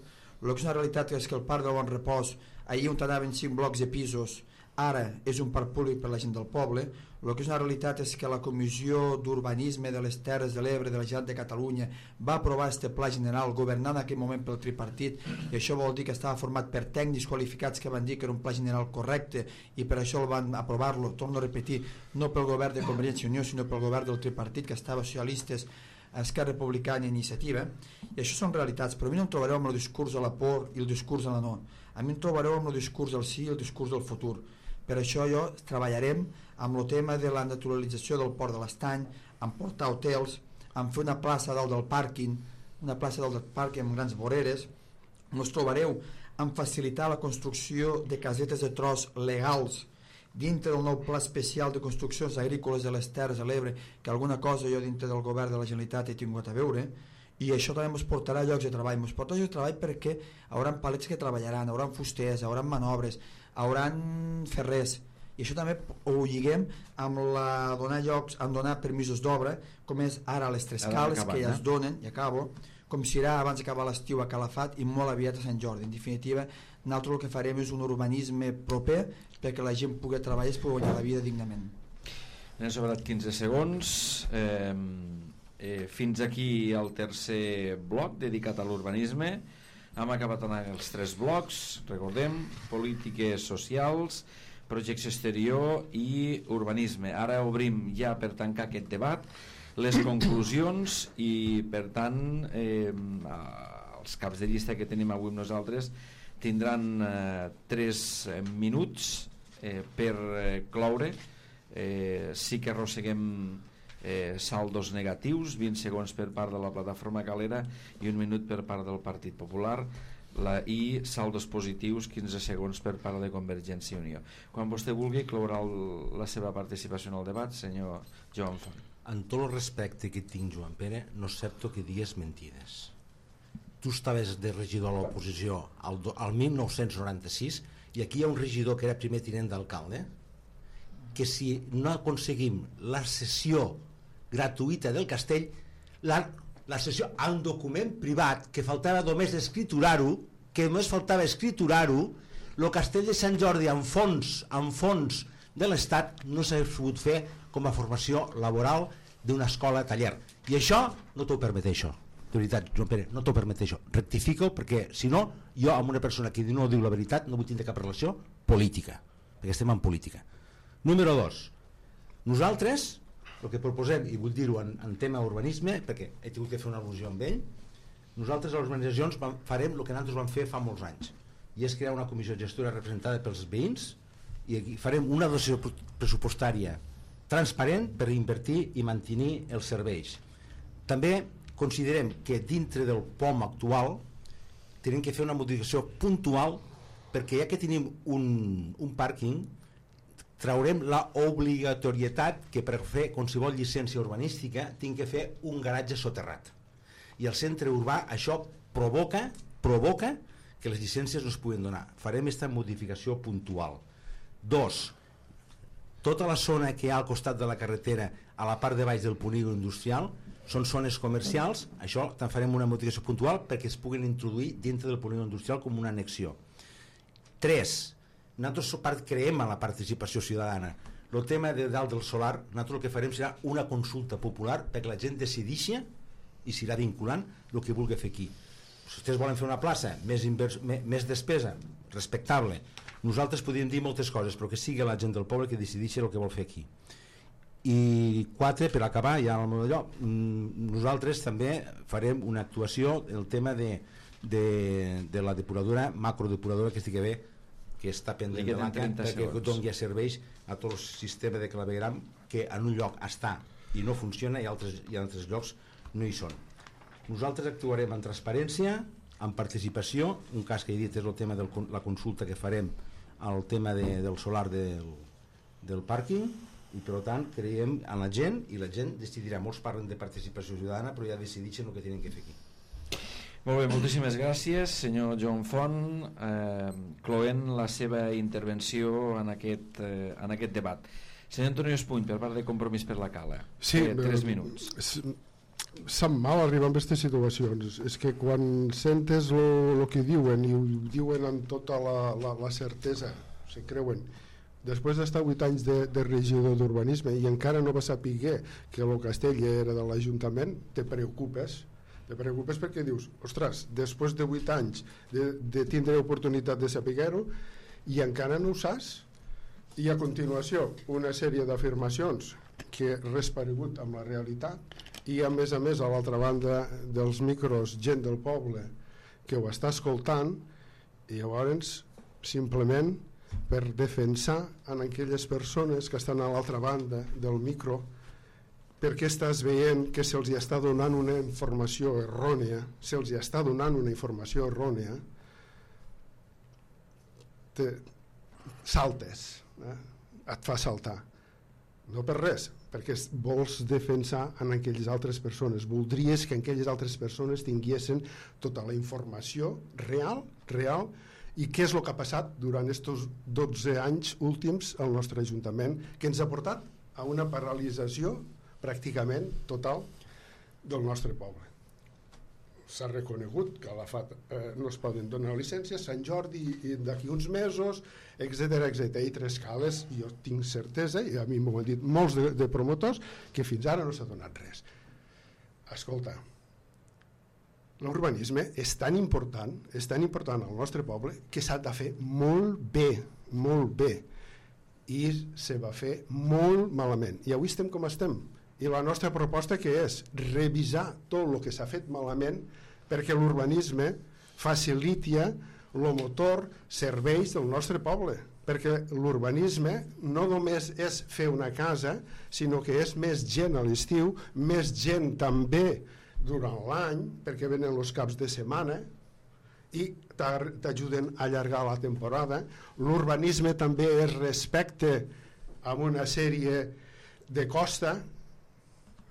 El que és una realitat és que el Parc del Bon Repòs, allí on anaven cinc blocs de pisos, ara és un parc públic per la gent del poble. El que és una realitat és que la Comissió d'Urbanisme de les Terres de l'Ebre de la Generalitat de Catalunya va aprovar este pla general governat en aquell moment pel tripartit, i això vol dir que estava format per tècnics qualificats que van dir que era un pla general correcte, i per això el van aprovar-lo, torno a repetir, no pel govern de Convergència i Unió, sinó pel govern del tripartit, que estava socialistes, Esquerra Republicana i Iniciativa. I això són realitats, però a mi no em trobareu amb el discurs de la por i el discurs de la no. A mi em trobareu amb el discurs del sí i el discurs del futur. Per això jo treballarem amb el tema de la naturalització del port de l'Estany, amb portar hotels, amb fer una plaça dalt del pàrquing, una plaça dalt del pàrquing amb grans voreres. Ens trobareu amb facilitar la construcció de casetes de tros legals dintre del nou pla especial de construccions agrícoles de les Terres de l'Ebre, que alguna cosa jo dintre del govern de la Generalitat he tingut a veure, i això també ens portarà llocs de treball. Ens portarà llocs de treball perquè hauran palets que treballaran, hauran fusters, hauran manobres, hauran ferrers, i això també ho lliguem amb la donar llocs, amb donar permisos d'obra, com és ara les tres cales que ja es donen, i acabo, com serà abans d'acabar l'estiu a Calafat i molt aviat a Sant Jordi. En definitiva, nosaltres el que farem és un urbanisme proper perquè la gent pugui treballar i es pugui guanyar la vida dignament. Hem sobrat quinze segons. Eh, eh, fins aquí el tercer bloc dedicat a l'urbanisme. Hem acabat amb els tres blocs, recordem, polítiques socials, projecció exterior i urbanisme. Ara obrim ja per tancar aquest debat les conclusions i per tant eh, els caps de llista que tenim avui nosaltres tindran eh, tres minuts eh, per eh, cloure. Eh, sí que arrosseguem eh, saldos negatius, vint segons per part de la plataforma Calera i un minut per part del Partit Popular, la, i saldos positius, quinze segons per part de Convergència i Unió. Quan vostè vulgui clourà el, la seva participació en el debat, senyor Joan Font. En tot el respecte que tinc, Joan Pere, no accepto que digues mentides. tu estaves de regidor a l'oposició al, al mil nou-cents noranta-sis i aquí hi ha un regidor que era primer tinent d'alcalde que si no aconseguim la cessió gratuïta del castell, la, la cessió a un document privat que faltava només escriturar-ho, que només faltava escriturar-ho, el castell de Sant Jordi en fons, en fons de l'Estat no s'ha pogut fer com a formació laboral d'una escola taller. I això no t'ho permet això. De veritat, Joan Pere, no t'ho permet això. Rectifico, perquè si no, jo amb una persona que no diu la veritat no vull tindre cap relació política, perquè estem en política. Número dos, nosaltres el que proposem, i vull dir-ho en, en tema urbanisme, perquè he tingut que fer una al·lusió amb ell, nosaltres a les organitzacions farem el que nosaltres vam fer fa molts anys, i és crear una comissió gestora representada pels veïns, i aquí farem una dotació pressupostària transparent per invertir i mantenir els serveis. També considerem que dintre del P O M actual tenim que fer una modificació puntual, perquè ja que tenim un, un pàrquing, traurem la obligatorietat que per fer qualsevol llicència urbanística tinc que fer un garatge soterrat, i al centre urbà això provoca provoca que les llicències no es puguin donar. Farem aquesta modificació puntual. Dos, tota la zona que hi ha al costat de la carretera a la part de baix del polígon industrial són zones comercials, això te'n farem una modificació puntual perquè es puguin introduir dintre del polígon industrial com una annexió. Tres, nosaltres creiem en la participació ciutadana. El tema de dalt del solar, nosaltres el que farem serà una consulta popular perquè la gent decideixi, i serà vinculant, el que vulgui fer aquí. Si vostès volen fer una plaça, més, invers, més, més despesa, respectable. Nosaltres podríem dir moltes coses, però que sigui la gent del poble que decideixi el que vol fer aquí. I quatre, per acabar, ja al meu allò, nosaltres també farem una actuació, el tema de, de, de la depuradora, macrodepuradora, que estigui bé, que està pendent de l'ACA, perquè doni serveis a tot el sistema de clavegram que en un lloc està i no funciona i altres, i altres llocs no hi són. Nosaltres actuarem en transparència, en participació, un cas que he dit és el tema de la consulta que farem al tema de, del solar del, del pàrquing, i per tant creiem en la gent i la gent decidirà. Molts parlen de participació ciutadana però ja decideixen el que tenen que fer aquí. Molt bé, moltíssimes gràcies senyor Joan Font, eh, cloent la seva intervenció en aquest, eh, en aquest debat. Senyor Antonio Espuny, per part de Compromís per la Cala, sí, eh, tres minuts. Sap mal arribar a aquestes situacions. És que quan sentes el que diuen i ho diuen amb tota la, la, la certesa, se creuen, després d'estar vuit anys de, de regidor d'urbanisme i encara no va saber que el castell era de l'Ajuntament, te preocupes te preocupes perquè dius, ostres, després de vuit anys de, de tindre oportunitat de saber-ho i encara no ho saps. I a continuació una sèrie d'afirmacions que res paregut amb la realitat, i a més a més a l'altra banda dels micros gent del poble que ho està escoltant, i llavors simplement per defensar en aquelles persones que estan a l'altra banda del micro, perquè estàs veient que se'ls està donant una informació errònia, se'ls està donant una informació errònia, te saltes, eh? Et fa saltar. No per res, perquè vols defensar en aquelles altres persones. Voldries que aquelles altres persones tinguessin tota la informació real, real, i què és el que ha passat durant aquests dotze anys últims al nostre Ajuntament, que ens ha portat a una paralització pràcticament total del nostre poble. S'ha reconegut que a la F A T eh, no es poden donar llicències, Sant Jordi i d'aquí uns mesos, etcètera, etcètera. I Trescales, jo tinc certesa, i a mi m'ho han dit molts de, de promotors, que fins ara no s'ha donat res. Escolta, l'urbanisme és tan important, és tan important al nostre poble que s'ha de fer molt bé, molt bé. I se va fer molt malament. I avui estem com estem. I la nostra proposta que és revisar tot el que s'ha fet malament perquè l'urbanisme faciliti el motor, serveis del nostre poble, perquè l'urbanisme no només és fer una casa, sinó que és més gent a l'estiu, més gent també durant l'any, perquè venen els caps de setmana i t'ajuden a allargar la temporada. L'urbanisme també és respecte a una sèrie de costa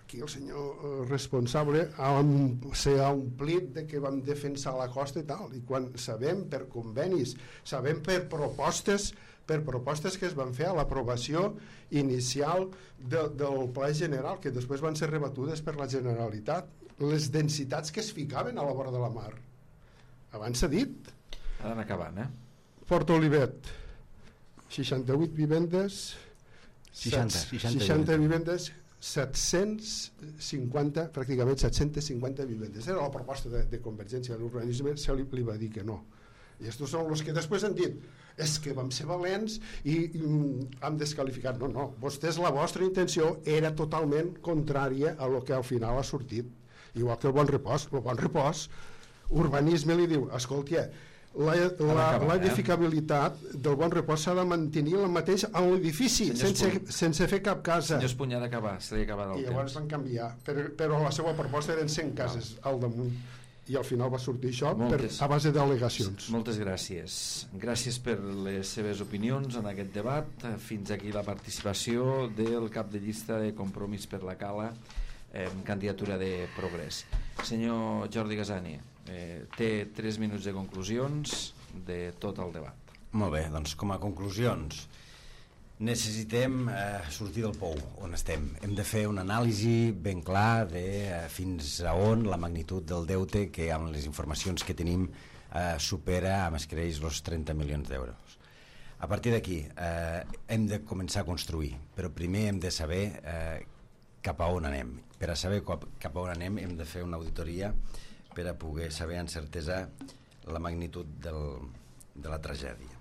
aquí el senyor responsable s'ha omplit de que vam defensar la costa i tal, i quan sabem per convenis, sabem per propostes per propostes que es van fer a l'aprovació inicial de, del Pla General, que després van ser rebatudes per la Generalitat, les densitats que es ficaven a la vora de la mar. Abans s'ha dit. Ha d'anar acabant, eh? Port Olivet, seixanta-vuit vivendes, seixanta, seixanta, seixanta vivendes, set-cents cinquanta, pràcticament set-cents cinquanta vivendes. Era la proposta de, de Convergència de l'Urbanisme, se li, li va dir que no. I estos són els que després han dit és que vam ser valents i, i hem descalificat. No, no, vostès, la vostra intenció era totalment contrària a lo que al final ha sortit. Igual que el Bon Repòs. El Bon Repòs, urbanisme li diu, escolta, la, la, la edificabilitat del Bon Repòs s'ha de mantenir el mateix en l'edifici, sense, sense fer cap casa. Senyor Espunya, ha d'acabar, s'ha d'acabar del temps. I llavors van canviar, però, però la seva proposta eren cent cases al damunt. I al final va sortir això moltes, per, a base d'al·legacions. Moltes gràcies. Gràcies per les seves opinions en aquest debat. Fins aquí la participació del cap de llista de Compromís per la Cala, eh, candidatura de Progrés. Senyor Jordi Gasani, eh, té tres minuts de conclusions de tot el debat. Molt bé, doncs com a conclusions, necessitem eh, sortir del pou on estem. Hem de fer una anàlisi ben clar de eh, fins a on la magnitud del deute, que amb les informacions que tenim eh, supera, amb escreix, els trenta milions d'euros. A partir d'aquí eh, hem de començar a construir, però primer hem de saber eh, cap a on anem. Per a saber cap a on anem hem de fer una auditoria per a poder saber amb certesa la magnitud del, de la tragèdia.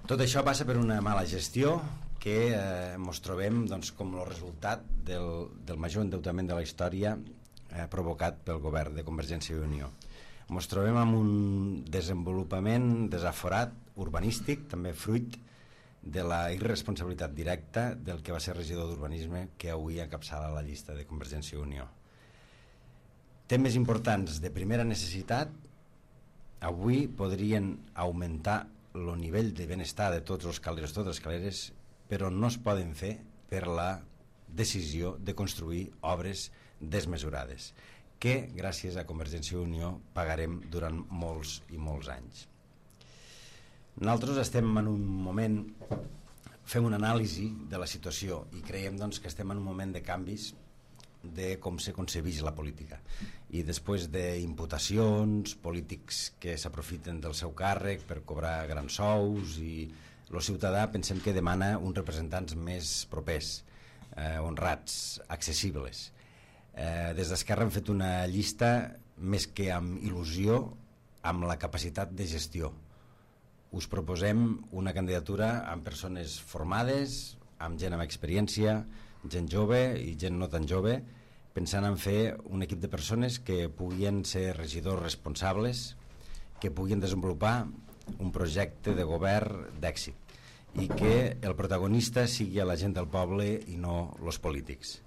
Tot això passa per una mala gestió que eh, ens trobem doncs, com el resultat del, del major endeutament de la història eh, provocat pel govern de Convergència i Unió. Ens trobem amb un desenvolupament desaforat urbanístic, també fruit de la irresponsabilitat directa del que va ser regidor d'urbanisme que avui encapçala la llista de Convergència i Unió. Temes importants de primera necessitat avui podrien augmentar el nivell de benestar de tots els caleros, totes les caleres, però no es poden fer per la decisió de construir obres desmesurades, que gràcies a Convergència i Unió pagarem durant molts i molts anys. Nosaltres estem en un moment, fem una anàlisi de la situació i creiem doncs, que estem en un moment de canvis de com se concebeix la política, i després d'imputacions, polítics que s'aprofiten del seu càrrec per cobrar grans sous, i el ciutadà pensem que demana uns representants més propers, eh, honrats, accessibles. Eh, des d'Esquerra hem fet una llista més que amb il·lusió, amb la capacitat de gestió. Us proposem una candidatura amb persones formades, amb gent amb experiència, gent jove i gent no tan jove, pensant en fer un equip de persones que puguin ser regidors responsables, que puguin desenvolupar un projecte de govern d'èxit i que el protagonista sigui la gent del poble i no els polítics.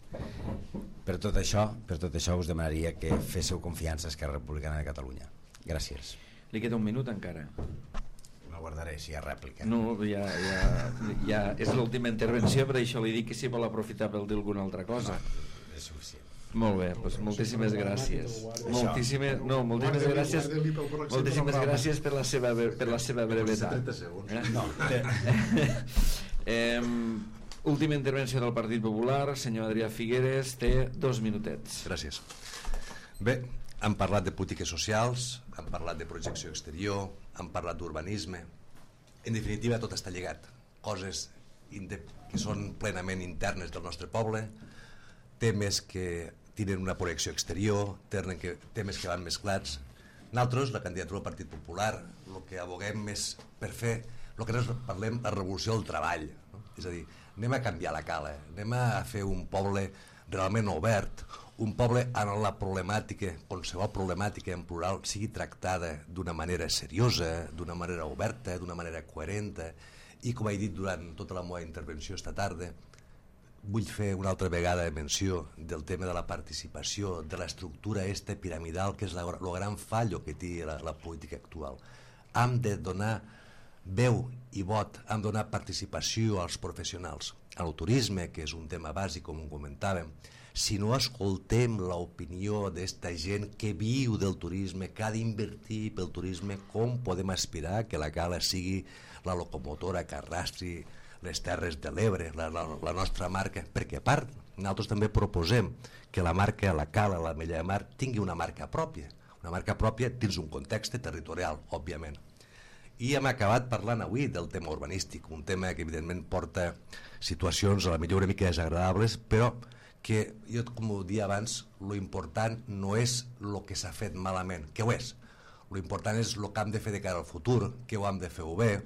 Per tot això, per tot això us demanaria que féssiu confiança a Esquerra Republicana de Catalunya. Gràcies. Li queda un minut encara. La guardaré si hi ha rèplica. No, ja, ja, ja és l'última intervenció, per això li dic que si vol aprofitar per dir alguna altra cosa. No, és suficient. Molt bé, doncs moltíssimes gràcies. Moltíssimes, no, moltíssimes gràcies. Moltíssimes gràcies per la seva per la seva brevetat. Eh? No. eh, última intervenció del Partit Popular, senyor Adrià Figueres, té dos minutets. Gràcies. Bé, hem parlat de polítiques socials, hem parlat de projecció exterior, hem parlat d'urbanisme. En definitiva, tot està lligat. Coses que són plenament internes del nostre poble, temes que tenen una projecció exterior, temes que, temes que van mesclats. Nosaltres, la candidatura del Partit Popular, el que aboguem és per fer el que nosaltres parlem, la revolució del treball. No? És a dir, anem a canviar la cala, anem a fer un poble realment obert, un poble on la problemàtica, qualsevol problemàtica en plural, sigui tractada d'una manera seriosa, d'una manera oberta, d'una manera coherent, i com he dit durant tota la meva intervenció esta tarda, vull fer una altra vegada menció del tema de la participació, de l'estructura esta piramidal, que és el gran fallo que té la, la política actual. Hem de donar veu i vot, hem de donar participació als professionals. al turisme, que és un tema bàsic, com ho comentàvem, si no escoltem l'opinió d'esta gent que viu del turisme, que ha d'invertir pel turisme, com podem aspirar que la Cala sigui la locomotora que arrastri les Terres de l'Ebre, la, la, la nostra marca? Perquè a part, nosaltres també proposem que la marca, la Cala, la Mella de Mar, tingui una marca pròpia, una marca pròpia dins un context territorial, òbviament. I hem acabat parlant avui del tema urbanístic, un tema que evidentment porta situacions a la millor una mica desagradables, però que jo, com ho dia abans, lo important no és el que s'ha fet malament, que ho és. Lo important és el que hem de fer de cara al futur, que ho hem de fer-ho bé,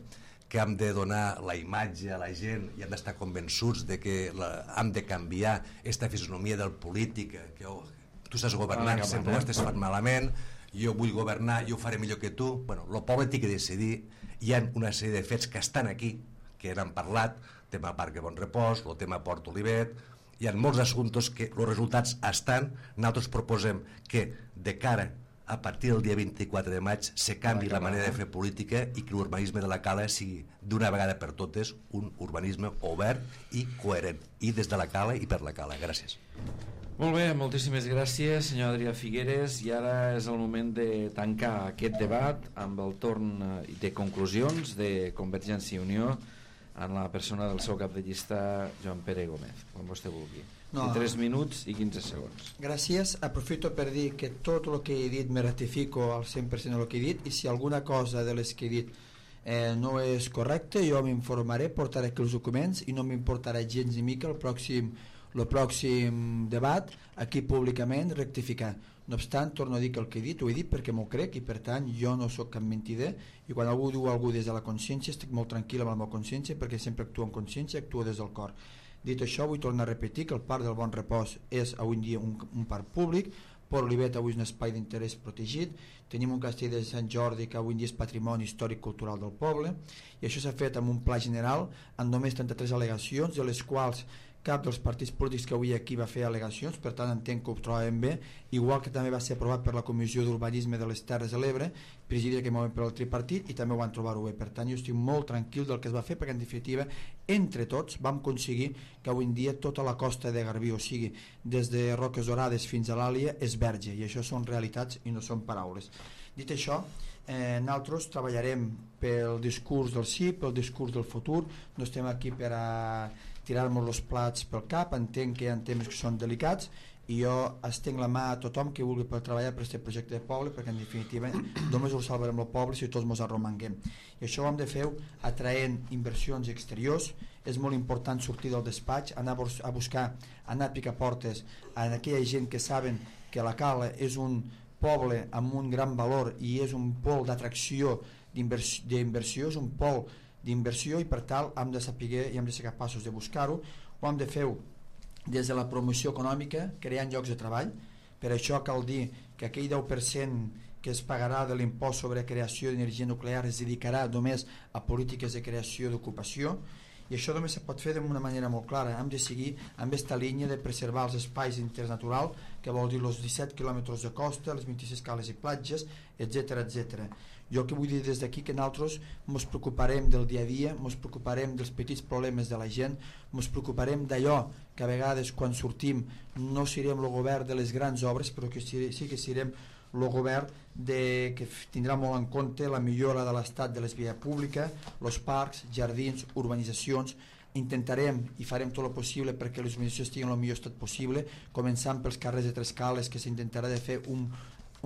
que hem de donar la imatge a la gent i hem d'estar convençuts de que la, hem de canviar aquesta fisonomia del polític, que oh, tu estàs governant, ah, sempre ho estàs fent malament, jo vull governar, jo ho faré millor que tu. Bueno, el poble té que decidir. Hi ha una sèrie de fets que estan aquí, que n'han parlat, tema Parc de Bon Repòs, el tema Port Olivet, hi ha molts assumptes que els resultats estan. Nosaltres proposem que de cara a partir del dia vint-i-quatre de maig se canvi la manera de fer política i que l'urbanisme de la Cala sigui d'una vegada per totes un urbanisme obert i coherent, i des de la Cala i per la Cala. Gràcies. Molt bé, moltíssimes gràcies, senyor Adrià Figueres, i ara és el moment de tancar aquest debat amb el torn de conclusions de Convergència i Unió en la persona del seu cap de llista, Joan Pere Gómez, com vostè vulgui. No. tres minuts i quinze segons. Gràcies. Aprofito per dir que tot el que he dit me ratifico al cent per cent del que he dit, i si alguna cosa de les que he dit eh, no és correcte, jo m'informaré, portaré aquí els documents i no m'importarà gens ni mica el pròxim el pròxim debat aquí públicament rectificar. No obstant, torno a dir que el que he dit ho he dit perquè m'ho crec, i per tant jo no sóc cap mentider, i quan algú diu algú des de la consciència estic molt tranquil amb la meva consciència, perquè sempre actuo en consciència, actuo des del cor. Dit això, vull tornar a repetir que el Parc del Bon Repòs és avui en dia un, un parc públic. Port Olivet avui és un espai d'interès protegit, tenim un castell de Sant Jordi que avui en dia és patrimoni històric cultural del poble, i això s'ha fet amb un pla general amb només trenta-tres al·legacions, de les quals cap dels partits polítics que avui aquí va fer al·legacions, per tant entenc que ho trobem bé, igual que també va ser aprovat per la Comissió d'Urbanisme de les Terres de l'Ebre, presidida aquell moment per el tripartit, i també ho van trobar-ho bé. Per tant, jo estic molt tranquil del que es va fer, perquè en definitiva entre tots vam aconseguir que avui en dia tota la costa de Garbí, o sigui, des de Roques Dorades fins a l'Àlia, és verge, i això són realitats i no són paraules. Dit això, eh, nosaltres treballarem pel discurs del sí, pel discurs del futur, no estem aquí per a tirar-nos els plats pel cap, entenc que hi ha temes que són delicats, i jo estenc la mà a tothom que vulgui per treballar per aquest projecte de poble, perquè en definitiva només ho salvarem el poble si tots ens arromanguem, i això ho hem de fer atraent inversions exteriors. És molt important sortir del despatx, anar a buscar, anar a picar portes a aquella gent que saben que la Cala és un poble amb un gran valor i és un pol d'atracció d'inversió, és un pol d'inversió, i per tal hem de saber i hem de ser capaços de buscar-ho. Ho hem de fer des de la promoció econòmica, creant llocs de treball. Per això cal dir que aquell deu per cent que es pagarà de l'impost sobre creació d'energia nuclear es dedicarà només a polítiques de creació d'ocupació, i això només se pot fer d'una manera molt clara. Hem de seguir amb aquesta línia de preservar els espais d'interès natural, que vol dir els disset quilòmetres de costa, les vint-i-sis cales i platges, etcètera, etcètera. Jo que vull dir des d'aquí que nosaltres ens preocuparem del dia a dia, ens preocuparem dels petits problemes de la gent, ens preocuparem d'allò que a vegades quan sortim no serem el govern de les grans obres, però que sí que serem el govern de, que tindrà molt en compte la millora de l'estat de les vies públiques, els parcs, jardins, urbanitzacions. Intentarem i farem tot el possible perquè les urbanitzacions tinguin el millor estat possible, començant pels carrers de Tres Cales, que s'intentarà de fer un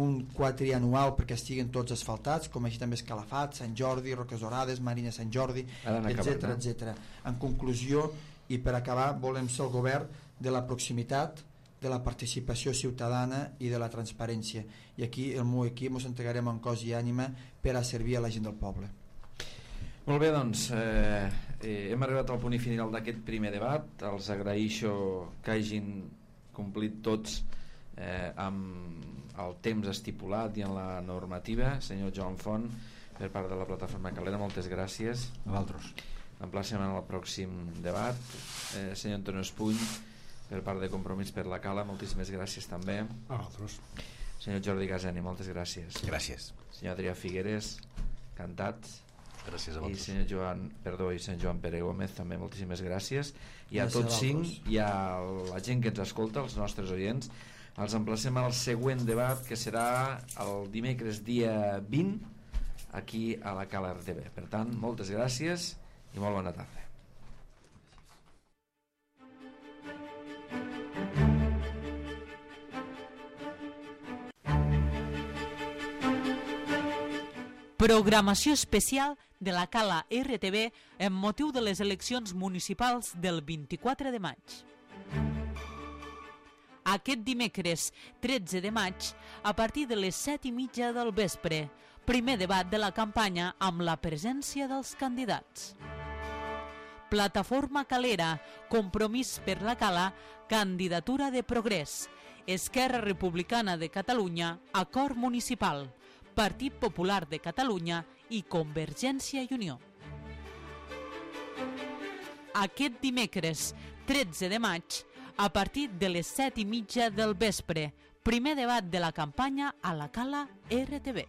un quadrianual perquè estiguin tots asfaltats, com així també Escalafat, Sant Jordi, Roques Dorades, Marina Sant Jordi, etcètera, etcètera. En conclusió, i per acabar, volem ser el govern de la proximitat, de la participació ciutadana i de la transparència. I aquí el meu equip ens entregarem en cos i ànima per a servir a la gent del poble. Molt bé, doncs eh, eh, hem arribat al punt final d'aquest primer debat. Els agraeixo que hagin complit tots eh, amb el temps estipulat i en la normativa. Senyor Joan Font, per part de la plataforma Calera, moltes gràcies. A vosaltres. Emplacem en el pròxim debat. Eh, senyor Antonio Espuny, per part de Compromís per la Cala, moltíssimes gràcies també. A vosaltres. Senyor Jordi Gaseni, moltes gràcies. Gràcies. Senyor Adrià Figueres, cantat. Gràcies a I vosaltres. senyor Joan, perdó, i senyor Joan Pere Gómez, també moltíssimes gràcies. I a Gràcies tots a cinc, vosaltres. i a la gent que ens escolta, els nostres oients, els emplacem al següent debat, que serà el dimecres dia vint, aquí a la Cala R T V. Per tant, moltes gràcies i molt bona tarda. Programació especial de la Cala R T V en motiu de les eleccions municipals del vint-i-quatre de maig. Aquest dimecres tretze de maig, a partir de les set i mitja del vespre, primer debat de la campanya amb la presència dels candidats. Plataforma Calera, Compromís per la Cala, Candidatura de Progrés, Esquerra Republicana de Catalunya, Acord Municipal, Partit Popular de Catalunya i Convergència i Unió. Aquest dimecres tretze de maig, a partir de les set i mitja del vespre, primer debat de la campanya a la Cala R T V.